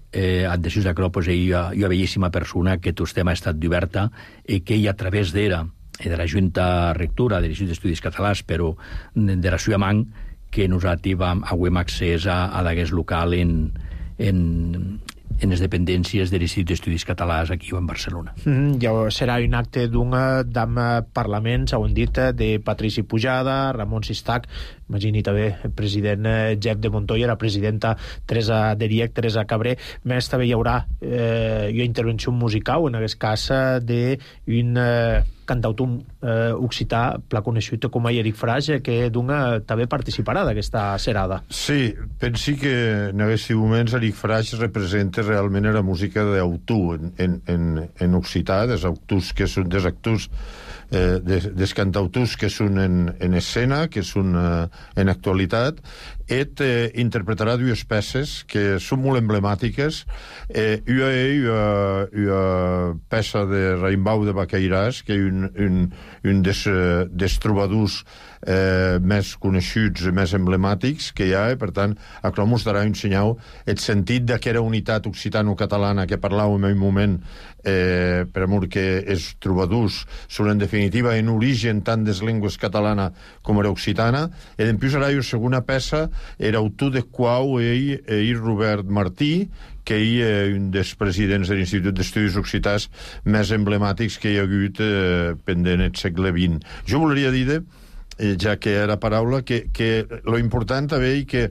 adhesió a Cropos, ell una bellíssima persona que tot tema ha estat d'oberta i que ell, a través d'era, de la Junta Rectora de l'Institut d'Estudis Catalans, però de la seva man, que nosaltres hem accés a d'aquest local en les dependències de l'Institut d'Estudis Catalans aquí en Barcelona. Ja serà un acte d'un Parlament, ho hem dit, de Patrici Pujada, Ramon Sistac, imagini també el president Jep de Montoya, la presidenta Teresa d'ERIEC, Teresa Cabré. Més també hi haurà una intervenció musical, en aquest cas d'un cantautor occità pla conegut com a Eric Frage, que també participarà d'aquesta serada. Sí, pensi que en aquests moments Eric Frage representa realment la música d'autor en occità, dels autors que són des actors dels cantautors que són en escena, que són en actualitat. Interpretarà dues peces que són molt emblemàtiques. Una peça de Raimbau de Baqueiràs, que és un dels trobadors més coneixuts i més emblemàtics que hi ha, i per tant això mostrarà un senyal el sentit d'aquella unitat occitano-catalana que parlàvem en un moment, per amor que els trobadors són en definitiva en origen tant des llengües catalana com era occitana. I després hi ha una segona peça, era autor de qual ell Robert Martí, que és un dels presidents de l'Institut d'Estudis Occitans més emblemàtics que hi ha hagut pendent el segle XX. Jo volia dir, ja que era paraula, que lo important també és que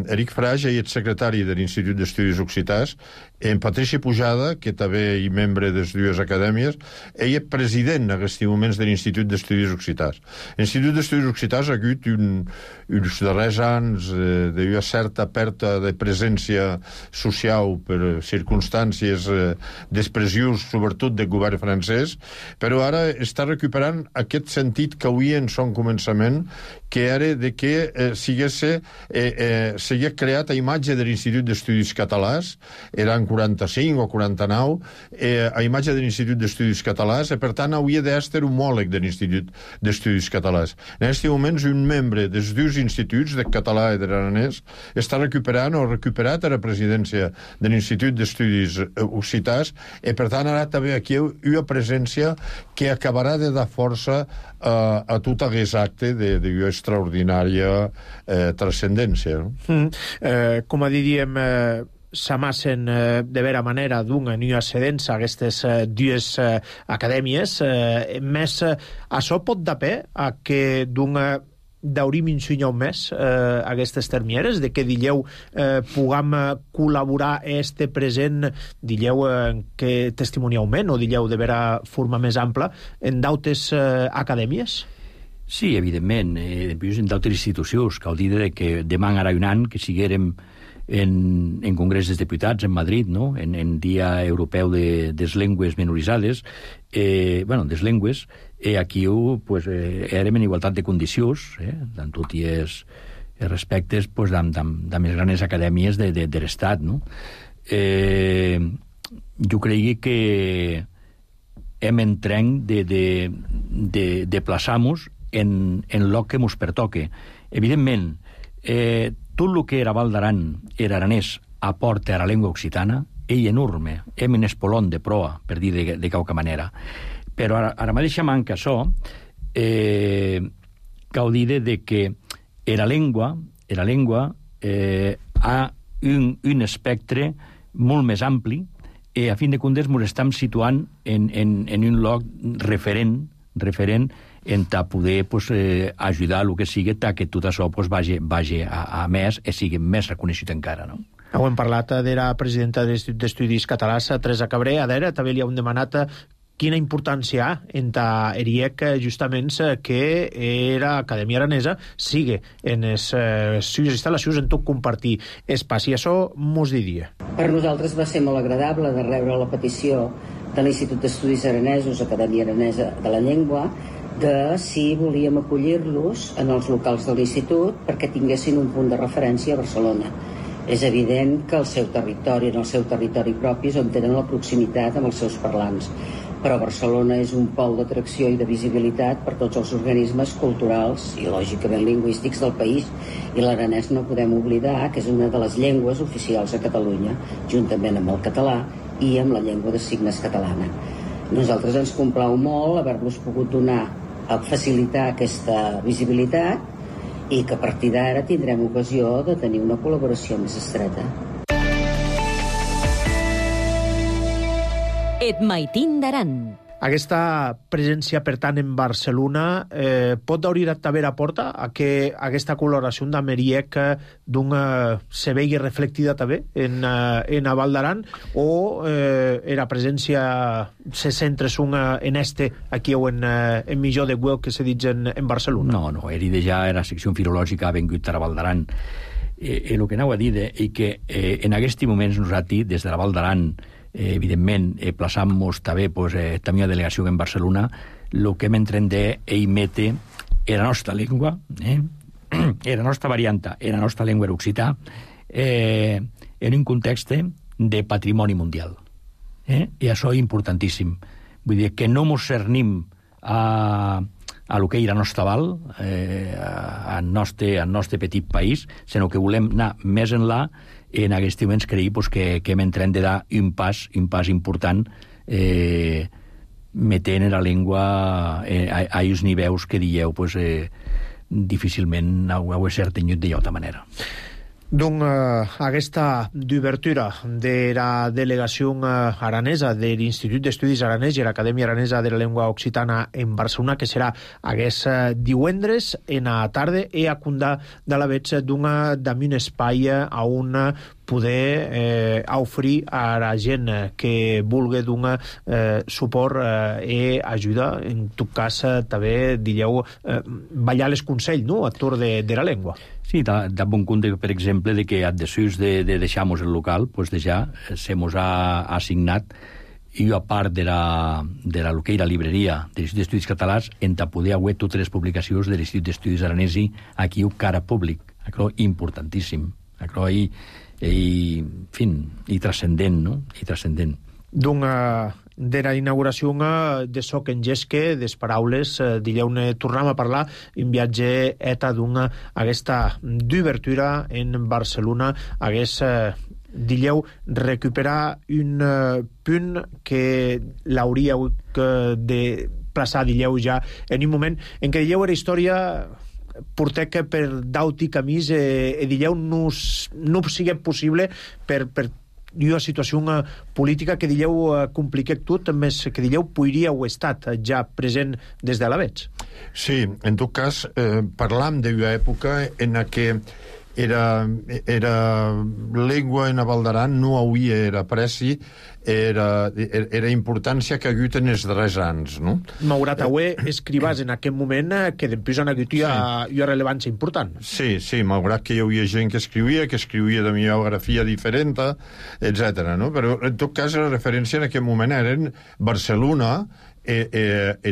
Eric Frage és secretari de l'Institut d'Estudis Occitans, en Patrici Pujada, que també és membre de les dues acadèmies, ell és president en aquests moments de l'Institut d'Estudis Occitans. L'Institut d'Estudis Occitans ha hagut uns darrers anys d'una certa pèrdua de presència social per circumstàncies d'expressions, sobretot del govern francès, però ara està recuperant aquest sentit que avui en son començament, que era de que s'havia creat a imatge de l'Institut d'Estudis Catalans, eren 45 o 49, a imatge de l'Institut d'Estudis Catalans, i per tant hauria d'estar homòleg de l'Institut d'Estudis Catalans. En aquest moment, un membre dels dos instituts, de català i de l'aranès, està recuperant o recuperat a la presidència de l'Institut d'Estudis Occitans, i per tant ara també aquí una presència que acabarà de dar força a tot aquest acte d'una extraordinària transcendència. Com diríem, s'amassen de vera manera d'una nua sedents a aquestes dues acadèmies, més això pot dapé a que d'una d'haurim insunyau més aquestes termieres, de que dilleu pugam col·laborar este present, dilleu que testimoniaument o dilleu de vera forma més ampla en d'autes acadèmies? Sí, evidentment, en d'altres institucions, cal dir que demà ara un any que siguérem en Congrés dels Diputats en Madrid, no? en Dia Europeu de Llengües Minoritzades, des llengües, aquí pues, érem en igualtat de condicions, tant tot i els respectes pues, de més grans acadèmies de l'Estat. No? Jo crec que hem entrenc de plaçar-nos en el que ens pertoque. Evidentment, tot el que era Val d'Aran era aranès aporta a la llengua occitana, ell enorme, hem en espolon de proa, per dir de qualque manera. Però ara mateix manca això, cal dir que la llengua ha un espectre molt més ampli i a fin de comptes ens estem situant en un lloc referent en poder ajudar el que sigui que tot això vagi a més i sigui més reconegut encara, no? Ho hem parlat de la presidenta de l'Institut d'Estudis Catalans, Teresa Cabré. A veure, també li hem demanat quina importància ha en ERIEC justament que era Acadèmia Aranesa sigui en les seves instal·lacions en tot compartir espaci. Això mos diria. Per nosaltres va ser molt agradable de rebre la petició de l'Institut d'Estudis Aranesos, Acadèmia Aranesa de la Llengua, de si volíem acollir-los en els locals de l'Institut perquè tinguessin un punt de referència a Barcelona. És evident que en el seu territori propi és on tenen la proximitat amb els seus parlants, però Barcelona és un pol d'atracció i de visibilitat per tots els organismes culturals i, lògicament, lingüístics del país, i l'aranès no podem oblidar que és una de les llengües oficials a Catalunya, juntament amb el català i amb la llengua de signes catalana. Nosaltres ens complau molt haver-los pogut donar a facilitar aquesta visibilitat i que a partir d'ara tindrem ocasió de tenir una col·laboració més estreta. Et maitin d'Aran. Aquesta presència, per tant, en Barcelona pot obrir també la porta a que aquesta col·laboració amb ERIEC se vegi reflectida també en Val d'Aran, o la presència se centra en aquí o en millor de web que se dit en Barcelona? No, ERIEC ja la secció filològica ha vengut a Val d'Aran. El que anava a dir és que en aquests moments nosaltres, des de la Val d'Aran, evidentment, plaçant-nos també la delegació en Barcelona, el que hem entrenat és mete la nostra llengua, la nostra varianta, la nostra llengua occità, en un context de patrimoni mundial. I això és importantíssim. Vull dir que no ens cernim a lo que és la nostra val, al nostre petit país, sinó que volem anar més enllà. En aquests moments creiem que hem entrat de dar un pas important metent la llengua a aquests nivells que dieu difícilment ho he cert tenyut d'altra manera. Donc, aquesta d'obertura de la delegació aranesa de l'Institut d'Estudis Aranès i l'Acadèmia Aranesa de la Llengua Occitana en Barcelona, que serà aquest divendres en la tarda, i a condar de la veig d'un espai on poder oferir a la gent que vulgui donar suport i ajuda, en tot cas també dieu ballar els consells, no?, a torn de la llengua. Sí, de bon compte, per exemple, de que després de deixar-nos el local, pues ja se mos ha assignat, i a part de la que era libreria de l'Institut d'Estudis Catalans, en poder haver totes les publicacions de l'Institut d'Estudis Aranesi aquí a cara públic. Això és importantíssim. Això i transcendent, no? I transcendent. De la inauguració de Soc en Gesque, des paraules, dileu-ne tornem a parlar, un viatge eta aquesta d'obertura en Barcelona, dileu recuperar un punt que l'hauríeu de plaçar, dileu ja, en un moment en què dileu era història portec per d'aut i camís dilleu no sigui possible per una situació política que dilleu compliquec tot, més que dilleu podria o estat ja present des de l'avets. Sí, en tot cas, parlam d'una època en què era lengua en Val d'Aran no havia era preci, era importància que ha hagut en els darrers anys, no? Malgrat avui escrivàs en aquest moment que després han hagut una rellevància important. Sí, malgrat que hi havia gent que escrivia de biografia diferent, etc. No? Però en tot cas la referència en aquest moment eren Barcelona,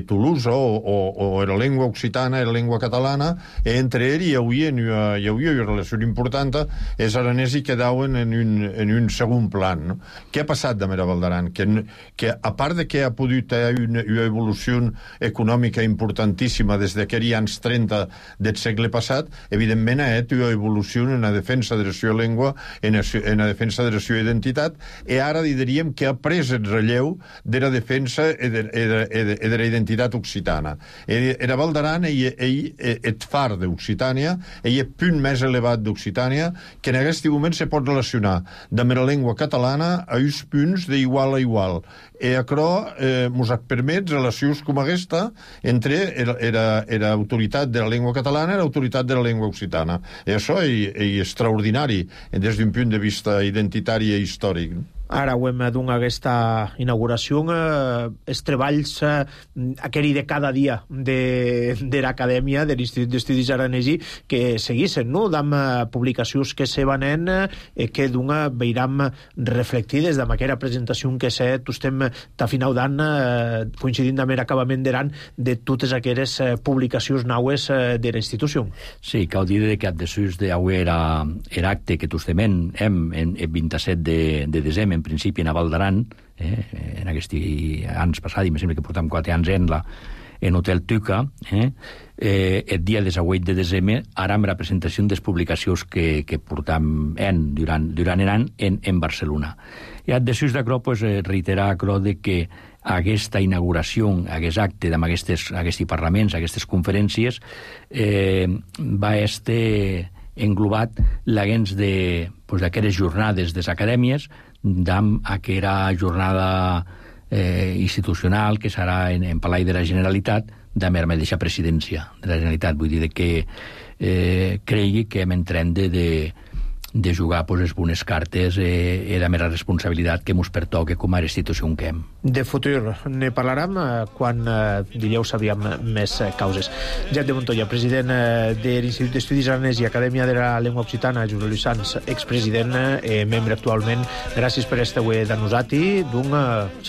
Toulouse o era lengua occitana, era lengua catalana, entre ells hi havia una relació important, els aranesos quedaven en un segon plan. No? Què ha passat de Val d'Aran? Que a part de que ha pogut haver una evolució econòmica importantíssima des d'aquells anys 30 del segle passat, evidentment ha hagut una evolució en la defensa de la seva llengua, en la defensa de la seva identitat, i ara diríem que ha pres el relleu de la defensa de la identitat occitana. Era Val d'Aran et far d'Occitània, el punt més elevat d'Occitània, que en aquest moment se pot relacionar amb la llengua catalana a uns punts d'igual a igual. I això ens permet relacions com aquesta entre l'autoritat de la llengua catalana i l'autoritat de la llengua occitana. I això és extraordinari des d'un punt de vista identitari i històric. Ara ho hem donat aquesta inauguració, els treballs aquell de cada dia de l'Acadèmia, de l'Institut d'Estudis Aranesi, que seguissin, no? D'am publicacions que se vanen, que d'una veiram reflectides d'am aquella presentació que se estem ta final d'any coincidint amb l'acabament d'any de totes aquelles publicacions naues de la institució. Sí, cal dir que després d'avui era acte que tostement el 27 de desembre, en principi a Val d'Aran, en aquests anys passats, i em sembla que portem 4 anys en Hotel Tuca, el dia 18 de desembre, ara amb la presentació de les publicacions que portam durant l'any en Barcelona. I després d'això, reiterar això de que aquesta inauguració, aquest acte amb aquests parlaments, aquestes conferències, va estar englobat l'agents d'aquelles jornades de les acadèmies, d'am aquella jornada institucional que serà en Palau de la Generalitat d'am la mateixa presidència de la Generalitat. Vull dir que cregui que hem entrat de jugar les bones cartes i la mera responsabilitat que ens pertoca com a institució que hem. De futur ne parlarem quan diríeu sabíem més causes. Jacques de Montoya, president de l'Institut d'Estudis Aranesi i Acadèmia de la Llengua Occitana, Josep Lluís Sans, expresident, membre actualment. Gràcies per estar avui de nosaltres.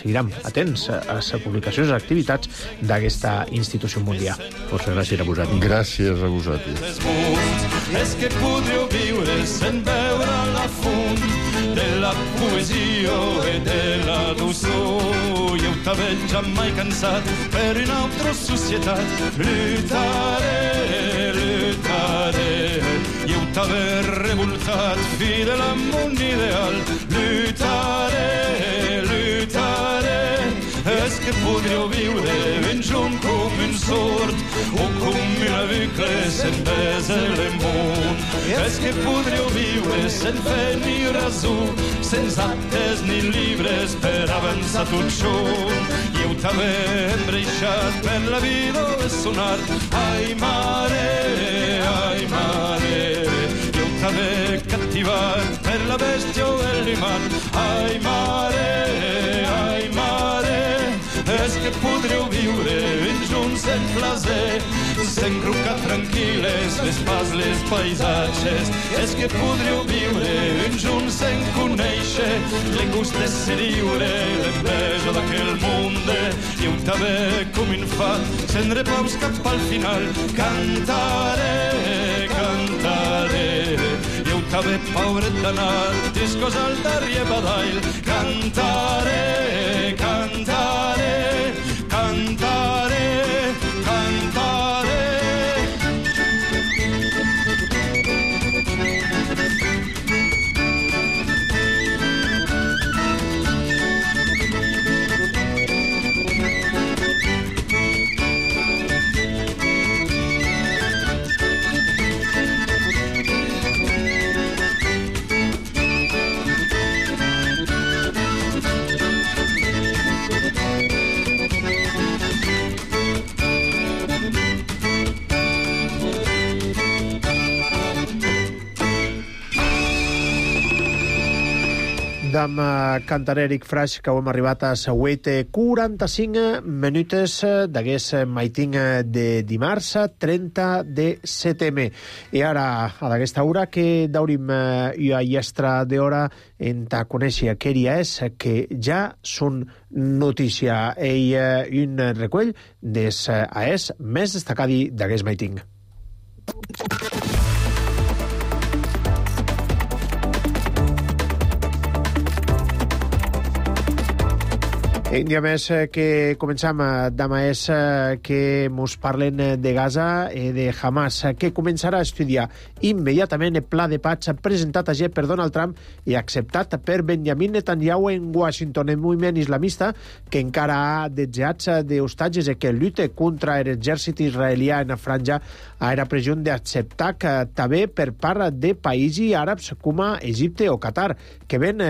Seguirem atents a les publicacions i activitats d'aquesta institució mundial. Força gràcies a vosaltres. Gràcies a vosaltres. És que podríeu viure sense veure la font de la poesia i de la dolçor. Jo t'havia ja mai cansat per una altra societat. Lluitaré, jo t'havia revoltat fidel a mon ideal. Lluitaré, és que podríeu viure ben junt com un sord o com una bucle sense besa l'emmunt. És que podríeu viure sense fer ni rasó, sense actes ni llibres per avançar tot junt. I ho també embreixat per la vida de sonar. Ai mare, i ho també captivat per la bèstia o l'imant. Ai mare, és que podríeu viure ben junts en plaer, s'encrucar tranquil·les les pas, les paisatges. És que podríeu viure ben junts en conèixer el gust de ser lliure, l'enveja d'aquell món. I ho també com un fat, sense repaus cap al final. Cantaré, i ho també pobret d'anar discos al darrer badall. Cantaré, D'am cantar Eric Fraix, que hem arribat a Sauet 45 minutes d'aguest maiting de dimarts 30 de setembre. I ara, a d'aquesta hora, que daurim a iestra d'hora en ta conèixer què dia és, que ja són notícia. I un recull des aes més destacadi d'aguest maiting. Un dia més que començam demà és que mos parlen de Gaza i de Hamas, que començarà a estudiar immediatament el pla de paz presentat ayer per Donald Trump i acceptat per Benjamin Netanyahu en Washington. El moviment islamista, que encara ha desejats d'hostatges i que lluita contra l'exèrcit israelià en la franja, era pressió d'acceptar que també per part de països àrabs com Egipte o Qatar, que ven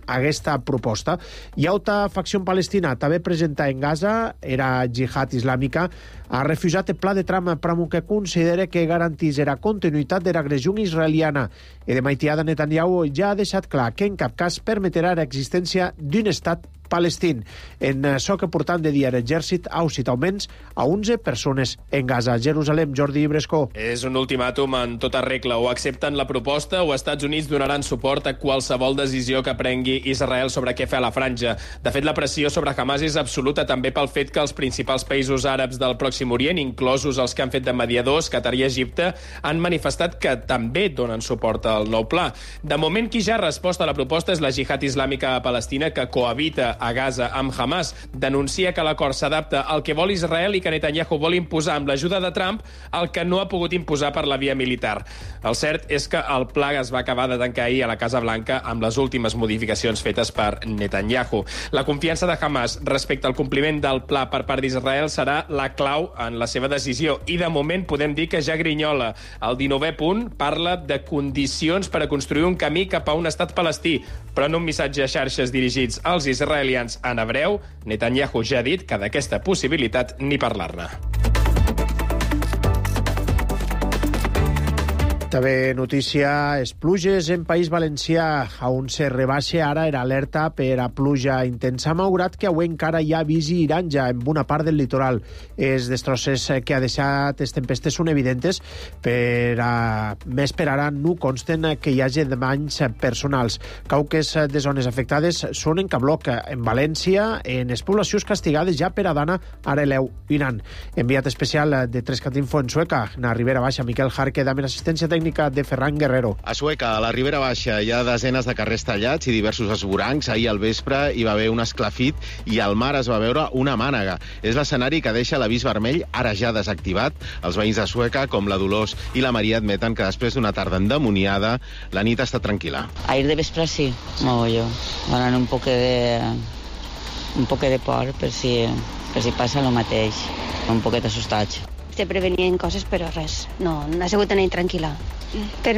aquesta proposta. Hi ha facció palestina també presenta en Gaza, era Jihad Islàmica, ha refusat el pla de Trump que considera que garantís la continuïtat de l'agressió israeliana. I de maitiada Netanyahu ja ha deixat clar que en cap cas permetrà l'existència d'un estat palestín. En això que portant de dia l'exèrcit ha usat almenys a 11 persones en Gaza. Jerusalem, Jordi Brescó. És un ultimàtum en tota regla. O accepten la proposta o Estats Units donaran suport a qualsevol decisió que prengui Israel sobre què fer a la franja. De fet, la pressió sobre Hamas és absoluta també pel fet que els principals països àrabs del Pròxim Orient, inclosos els que han fet de mediadors, Qatar i Egipte, han manifestat que també donen suport al nou pla. De moment, qui ja ha respost a la proposta és la Jihad Islàmica palestina, que cohabita a Gaza amb Hamas. Denuncia que l'acord s'adapta al que vol Israel i que Netanyahu vol imposar amb l'ajuda de Trump el que no ha pogut imposar per la via militar. El cert és que el pla es va acabar de tancar ahir a la Casa Blanca amb les últimes modificacions fetes per Netanyahu. La confiança de Hamas respecte al compliment del pla per part d'Israel serà la clau en la seva decisió i de moment podem dir que ja grinyola. El 19è punt parla de condicions per a construir un camí cap a un estat palestí, però en un missatge a xarxes dirigits als israelians en hebreu, Netanyahu ja ha dit que d'aquesta possibilitat ni parlar-ne. També notícia, és pluges en País Valencià, on se rebaixa ara l'alerta per a pluja intensa, malgrat que avui encara hi ha visi iranja en bona part del litoral. Els destrosses que ha deixat les tempestes són evidentes, més per ara no consten que hi hagi danys personals. Cauques de zones afectades són en Cabloc, en València, en les poblacions castigades ja per Adana, Areleu i Nan. Enviat especial de Trescatinfo en Sueca, na Ribera Baixa, Miquel Jarque, dame l'assistència tècnica de Ferran Guerrero. A Sueca, a la Ribera Baixa, hi ha desenes de carrers tallats i diversos esvorancs. Ahir al vespre hi va haver un esclafit i al mar es va veure una mànega. És l'escenari que deixa l'avís vermell, ara ja desactivat. Els veïns de Sueca, com la Dolors i la Maria, admeten que després d'una tarda endemoniada, la nit ha estat tranquil·la. Ahir de vespre sí, yo. Donen un poc de por per si passa el mateix. Un poquet assustats. Se prevenien coses, però res. No ha sigut una nit tranquil·la. Per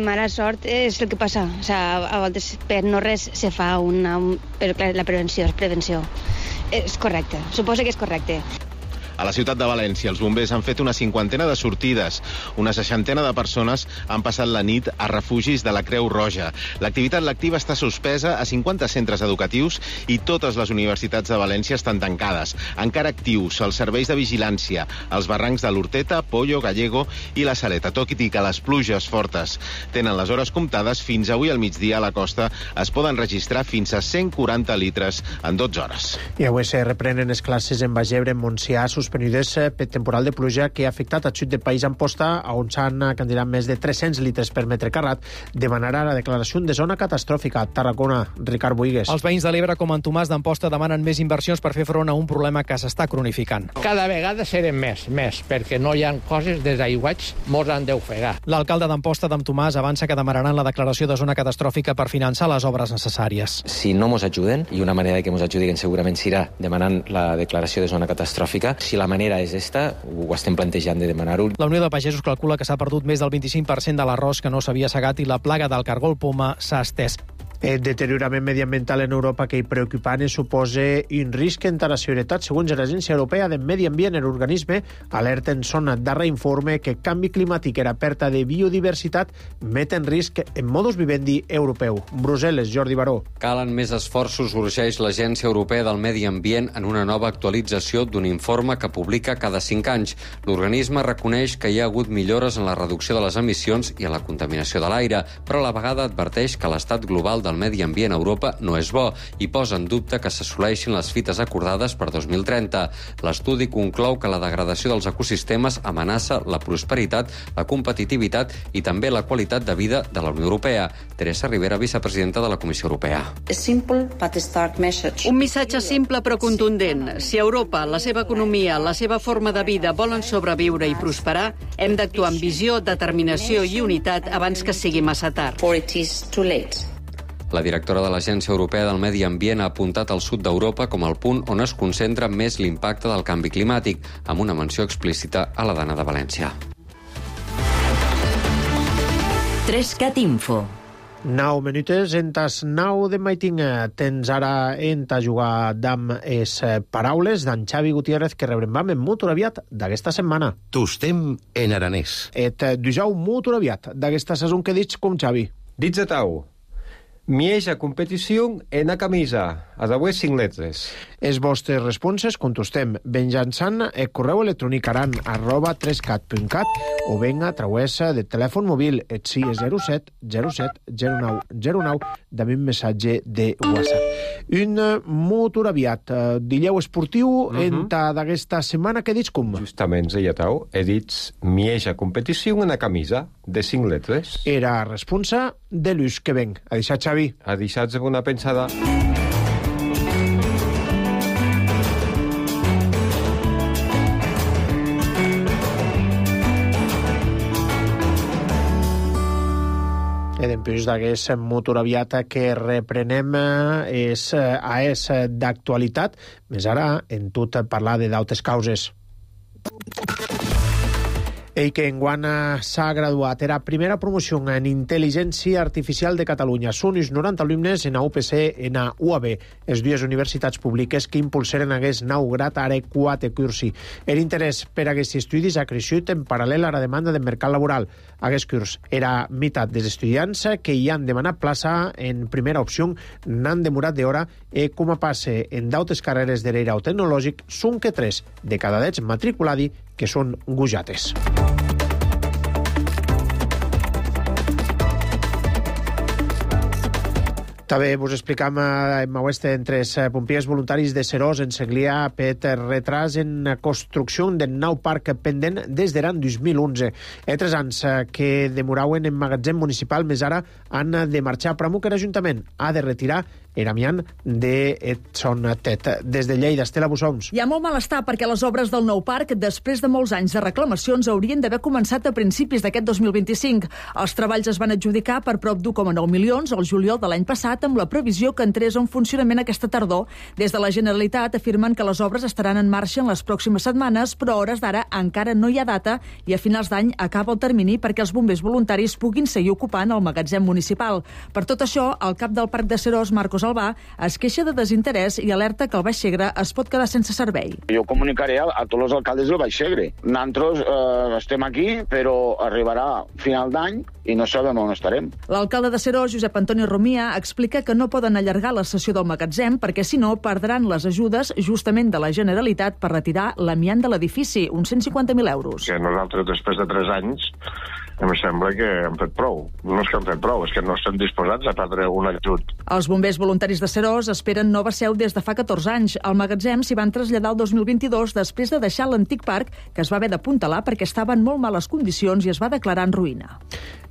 mala sort és el que passa. O sigui, a voltes per no res se fa però clar, la prevenció és prevenció. És correcte, suposo que és correcte. A la ciutat de València, els bombers han fet una 50 de sortides. Una 60 de persones han passat la nit a refugis de la Creu Roja. L'activitat lectiva està suspesa a 50 centres educatius i totes les universitats de València estan tancades. Encara actius els serveis de vigilància als barrancs de l'Horteta, Pollo, Gallego i la Saleta. Tot i que les pluges fortes tenen les hores comptades, fins avui al migdia a la costa es poden registrar fins a 140 litres en 12 hores. I avui se reprenen les classes en Bagebre, en Montsià, suspenudes per temporal de pluja que ha afectat el sud del país Amposta, on s'han candidat més de 300 litres per metre carrat. Demanarà la declaració de zona catastròfica. Tarragona, Ricard Buigues. Els veïns de l'Ebre, com en Tomàs d'Amposta, demanen més inversions per fer front a un problema que s'està cronificant. Cada vegada serem més, perquè no hi ha coses des d'aiguats molts han d'ofegar. L'alcalde d'Amposta, d'en Tomàs, avança que demanaran la declaració de zona catastròfica per finançar les obres necessàries. Si no mos ajuden, i una manera que mos ajudin segurament serà demanant la declaració de zona catastròfica, si la manera és esta, ho estem plantejant de demanar-ho. La Unió de Pagesos calcula que s'ha perdut més del 25% de l'arròs que no s'havia segat i la plaga del cargol poma s'ha estès. El deteriorament mediambiental en Europa que hi preocupant suposa un risc en la seguretat. Segons l'Agència Europea de Medi Ambient, l'organisme alerta en son darrer informe que canvi climàtic i la pèrdua de biodiversitat met en risc en modus vivendi europeu. Brussel·les, Jordi Baró. Calen més esforços, urgeix l'Agència Europea del Medi Ambient en una nova actualització d'un informe que publica cada 5 anys. L'organisme reconeix que hi ha hagut millores en la reducció de les emissions i en la contaminació de l'aire, però a la vegada adverteix que l'estat global del medi ambient a Europa no és bo i posa en dubte que s'assoleixin les fites acordades per 2030. L'estudi conclou que la degradació dels ecosistemes amenaça la prosperitat, la competitivitat i també la qualitat de vida de la Unió Europea. Teresa Rivera, vicepresidenta de la Comissió Europea. Un missatge simple però contundent. Si Europa, la seva economia, la seva forma de vida volen sobreviure i prosperar, hem d'actuar amb visió, determinació i unitat abans que sigui massa tard. La directora de l'Agència Europea del Medi Ambient ha apuntat al sud d'Europa com el punt on es concentra més l'impacte del canvi climàtic, amb una menció explícita a la Dana de València. 3CAT Info. 9 minuts, entes 9 de maitinga. Tens ara a jugar d'amb es paraules d'en Xavi Gutiérrez, que rebrem en molt aviat d'aquesta setmana. Tostem en aranès. Et dijau molt aviat d'aquesta saison que dits com Xavi. Dits a tau. Mieja competició en a camisa, a d'avui 5 letres. Els vostres responses contestem venjançant el correu electrònic aran@3cat.cat o ben a través de telèfon mòbil et 607 07 09 09 d'un missatge de WhatsApp. Un molt aviat. Dileu esportiu en d'aquesta setmana que dits com? Justament, ja tau, he dit mieja competició en a camisa de 5 letres. Era responsa de l'ús que ven. A deixar, Xavi. A deixar-se una pensada. I després d'aquest motor aviat que reprenem és d'actualitat, més ara en tot parlar de d'altres causes. Ell que enguany s'ha graduat era primera promoció en Intel·ligència Artificial de Catalunya. Són uns 90 alumnes en UPC en UAB, les dues universitats públiques que impulsaren aquest nou grad ara 4 cursi. L'interès per aquests estudis ha crescut en paral·lel a la demanda del mercat laboral. Aquest curs era meitat dels estudiants que hi han demanat plaça en primera opció n'han demorat d'hora i com a passe en d'altres carreres de l'era o tecnològic són que 3 de cada 10 matriculadi que són gujates. També vos explicam en oeste entre els pompiers voluntaris de Serós en Segrià per retras en construcció del nou parc pendent des de l'any 2011. 3 anys que demoraven en magatzem municipal, més ara han de marxar per que l'Ajuntament ha de retirar l'amiant de son tet. Des de Lleida, Estela Bussoms. Hi ha molt malestar perquè les obres del nou parc, després de molts anys de reclamacions, haurien d'haver començat a principis d'aquest 2025. Els treballs es van adjudicar per prop d'1,9 milions al juliol de l'any passat, amb la previsió que entrés en funcionament aquesta tardor. Des de la Generalitat afirmen que les obres estaran en marxa en les pròximes setmanes, però a hores d'ara encara no hi ha data i a finals d'any acaba el termini perquè els bombers voluntaris puguin seguir ocupant el magatzem municipal. Per tot això, el cap del Parc de Serós, Marcos Albà, es queixa de desinterès i alerta que el Baix Segre es pot quedar sense servei. Jo comunicaré a tots els alcaldes del Baix Segre. Nosaltres estem aquí, però arribarà final d'any i no sabem on estarem. L'alcalde de Serós, Josep Antoni Romia, explica que no poden allargar la sessió del magatzem perquè, si no, perdran les ajudes justament de la Generalitat per retirar l'amiant de l'edifici, uns 150.000 euros. Que nosaltres, després de 3 anys, em sembla que hem fet prou. No és que hem fet prou, és que no estem disposats a perdre un ajut. Els bombers voluntaris de Serós esperen nova seu des de fa 14 anys. Al magatzem s'hi van traslladar el 2022 després de deixar l'antic parc, que es va haver d'apuntalar perquè estava en molt males condicions i es va declarar en ruïna.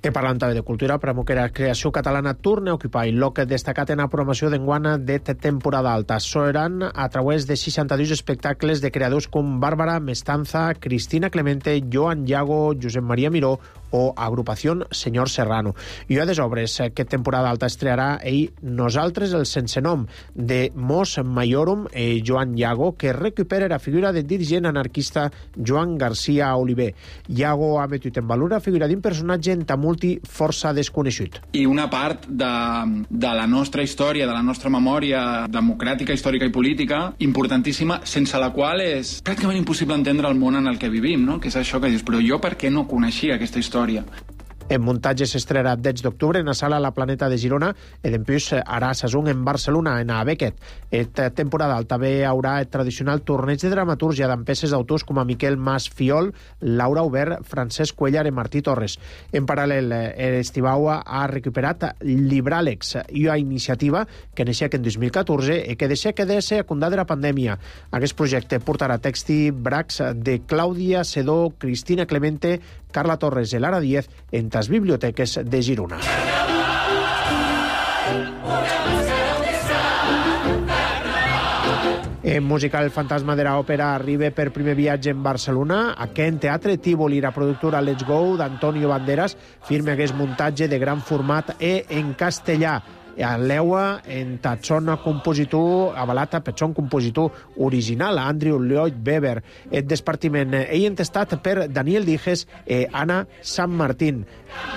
I parlant també de cultura, premo que la creació catalana torna a ocupar el lloc destacat en la programació d'enguana de temporada alta. Seran a través de 62 espectacles de creadors com Bàrbara Mestanza, Cristina Clemente, Joan Llago, Josep Maria Miró o Agrupación Senyor Serrano. I a des obres que temporada alta estrearà Nosaltres el sense nom de Mos Maiorum i Joan Iago, que recupera la figura del dirigent anarquista Joan García Oliver. Iago ha metut en valor la figura d'un personatge en tamulti força desconegut. I una part de la nostra història, de la nostra memòria democràtica, històrica i política, importantíssima, sense la qual és pràcticament impossible entendre el món en el que vivim, no? Que és això que dius, però jo per què no coneixia aquesta història? En muntatge s'estrenarà 10 d'octubre en la sala La Planeta de Girona i després harà sesung en Barcelona, en a Beckett. Esta temporada també haurà el tradicional torneig de dramatúrgia amb peces d'autors com a Miquel Mas Fiol, Laura Aubert, Francesc Cuellar i Martí Torres. En paral·lel, Estibau ha recuperat Libràlex, una iniciativa que neixia en 2014 i que deixa que ser acundada de la pandèmia. Aquest projecte portarà text i bracs de Clàudia Sedó, Cristina Clemente, Carla Torres i Lara Díez en les biblioteques de Girona. En musical, el fantasma de l'òpera arriba per primer viatge en Barcelona. Aquí en Teatre Tívoli, la productora Let's Go d'Antonio Banderas firma aquest muntatge de gran format en castellà. Leua en Tatson compositor avalat per son compositor original, Andrew Lloyd Webber. El despartiment entestat per Daniel Dijes i Anna San Martín.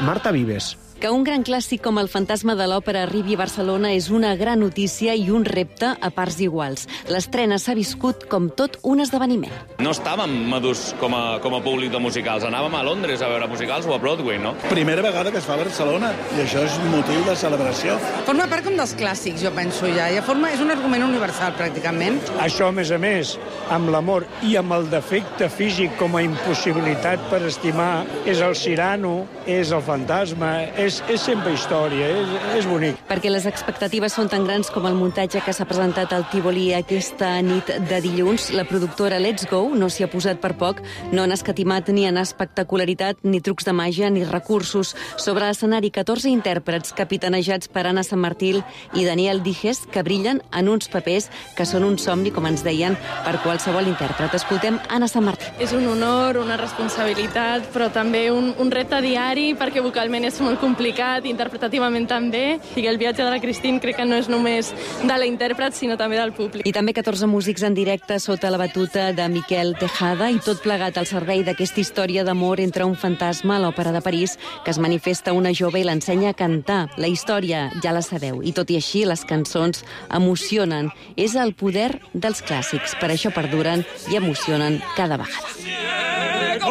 Marta Vives. Que un gran clàssic com El fantasma de l'òpera arribi a Barcelona és una gran notícia i un repte a parts iguals. L'estrena s'ha viscut com tot un esdeveniment. No estàvem madurs com a públic de musicals. Anàvem a Londres a veure musicals o a Broadway, no? Primera vegada que es fa a Barcelona i això és motiu de celebració. Forma part com dels clàssics, jo penso ja. És un argument universal, pràcticament. Això, a més, amb l'amor i amb el defecte físic com a impossibilitat per estimar, és el Cyrano, és el fantasma, és sempre història, és bonic. Perquè les expectatives són tan grans com el muntatge que s'ha presentat al Tívoli aquesta nit de dilluns, la productora Let's Go no s'hi ha posat per poc, no han escatimat ni en espectacularitat, ni trucs de màgia, ni recursos. Sobre l'escenari, 14 intèrprets capitanejats per Anna San Martín i Daniel Dijes, que brillen en uns papers que són un somni, com ens deien, per qualsevol intèrpret. Escoltem Anna San Martín. És un honor, una responsabilitat, però també un repte diari, perquè vocalment és molt complicat, interpretativament també, i el viatge de la Cristín crec que no és només de la intèrpret, sinó també del públic. I també 14 músics en directe sota la batuta de Miquel Tejada, i tot plegat al servei d'aquesta història d'amor entre un fantasma a l'Òpera de París, que es manifesta una jove i l'ensenya a cantar. La història ja la sabeu, i tot i així les cançons emocionen. És el poder dels clàssics, per això perduren i emocionen cada vegada.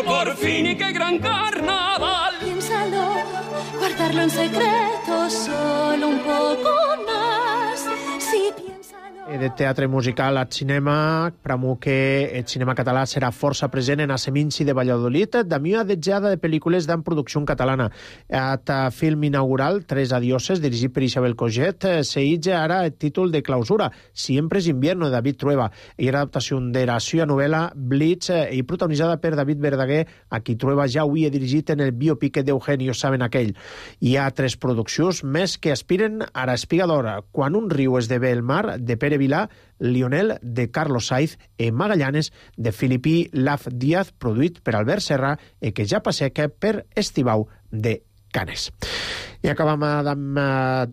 Por fin y qué gran carnaval. Piénsalo, guardarlo en secreto solo un poco más. Si de teatre musical al cinema, pramo que el cinema català serà força present en a Seminci de Valladolid, d'amió adetjada de pel·lícules d'en producció catalana. At film inaugural, Tres adioses, dirigit per Isabel Coget, s'eitja ara el títol de clausura, Siempre es invierno, de David Trueba, i era adaptació de la seva novel·la Blitz, i protagonitzada per David Verdaguer, a qui Trueba ja havia dirigit en el biopic d'Eugenio Saben aquell. Hi ha 3 produccions més que aspiren a l'Espiga d'Or, Quan un riu esdevé el mar, de Pere Vilà, Lionel, de Carlos Saiz, i Magallanes, de Filipí Laf Díaz, produït per Albert Serra, i que ja passeca per Estibau de Canes. I acabam amb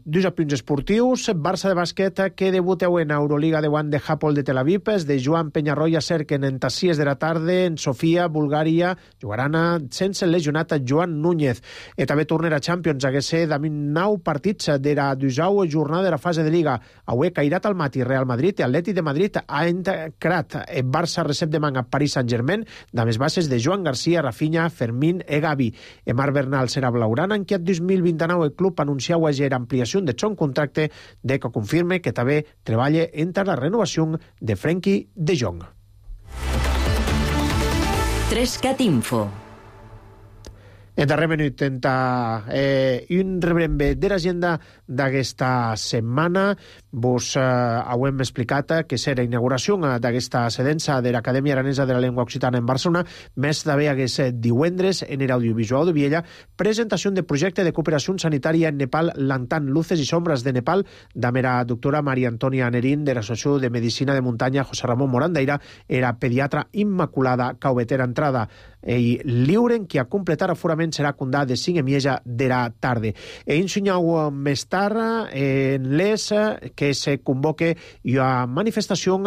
dos apunts esportius. Barça de bàsquet que debuteu en Euroliga de One de Hapoel de Tel Aviv, de Joan Peñarroya cerquen en Tassies de la tarda, en Sofia, Bulgària, jugaran sense el lesionat Joan Núñez. I també tornarà a Champions, hagués de 9 partits de la 12a jornada de la fase de Liga. Avui Cairat al Mati, Real Madrid i Atleti de Madrid ha entrat. Barça recep demà a Paris Saint-Germain, de més bases de Joan García, Rafinha, Fermín i Gavi. Marc Bernal serà blaugrana, en què 2029 el club anunciau ayer ampliació de son contracte, de que confirme que també treballa entre la renovació de Frenkie de Jong. 3CAT Info. En darrer minut, un rebrembe de l'agenda d'aquesta setmana. Vos ho hem explicat que serà inauguració d'aquesta sedença de l'Acadèmia Aranesa de la Llengua Occitana en Barcelona. Més també hagués divendres en l'Audiovisual de Viella presentació de projecte de cooperació sanitària en Nepal, Lantan, Luces i Sombres de Nepal, de la doctora Maria Antònia Anerín de l'Associació de Medicina de Muntanya José Ramon Morandeira, era pediatra immaculada Cauvetera Entrada, i lliuren qui ha completat aforaments bombardament serà condà de 5 emieja d'era tarde. E insunyau més tard en les que se convoque una manifestació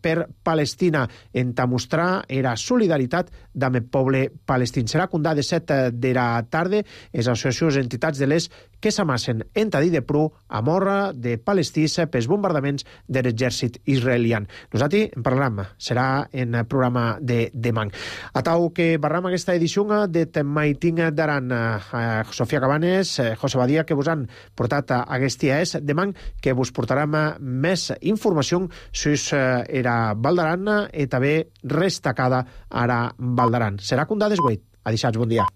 per Palestina en mostrar era solidaritat amb el poble palestí. Serà condà de 7 d'era tarde les associacions i entitats de les que s'amassen en Tadí de Pru a morra de palestís pels bombardaments de l'exèrcit israelià. Nosaltres en parlarem, serà en el programa de demà. Atau que barram aquesta edició de Maiting d'Aran. Sofia Cabanes, José Badia, que vos han portat aquest dia és demà que vos portarem més informació sobre era Val d'Aran i també destacada ara Val d'Aran. Serà condà desguait. Adixats, bon dia.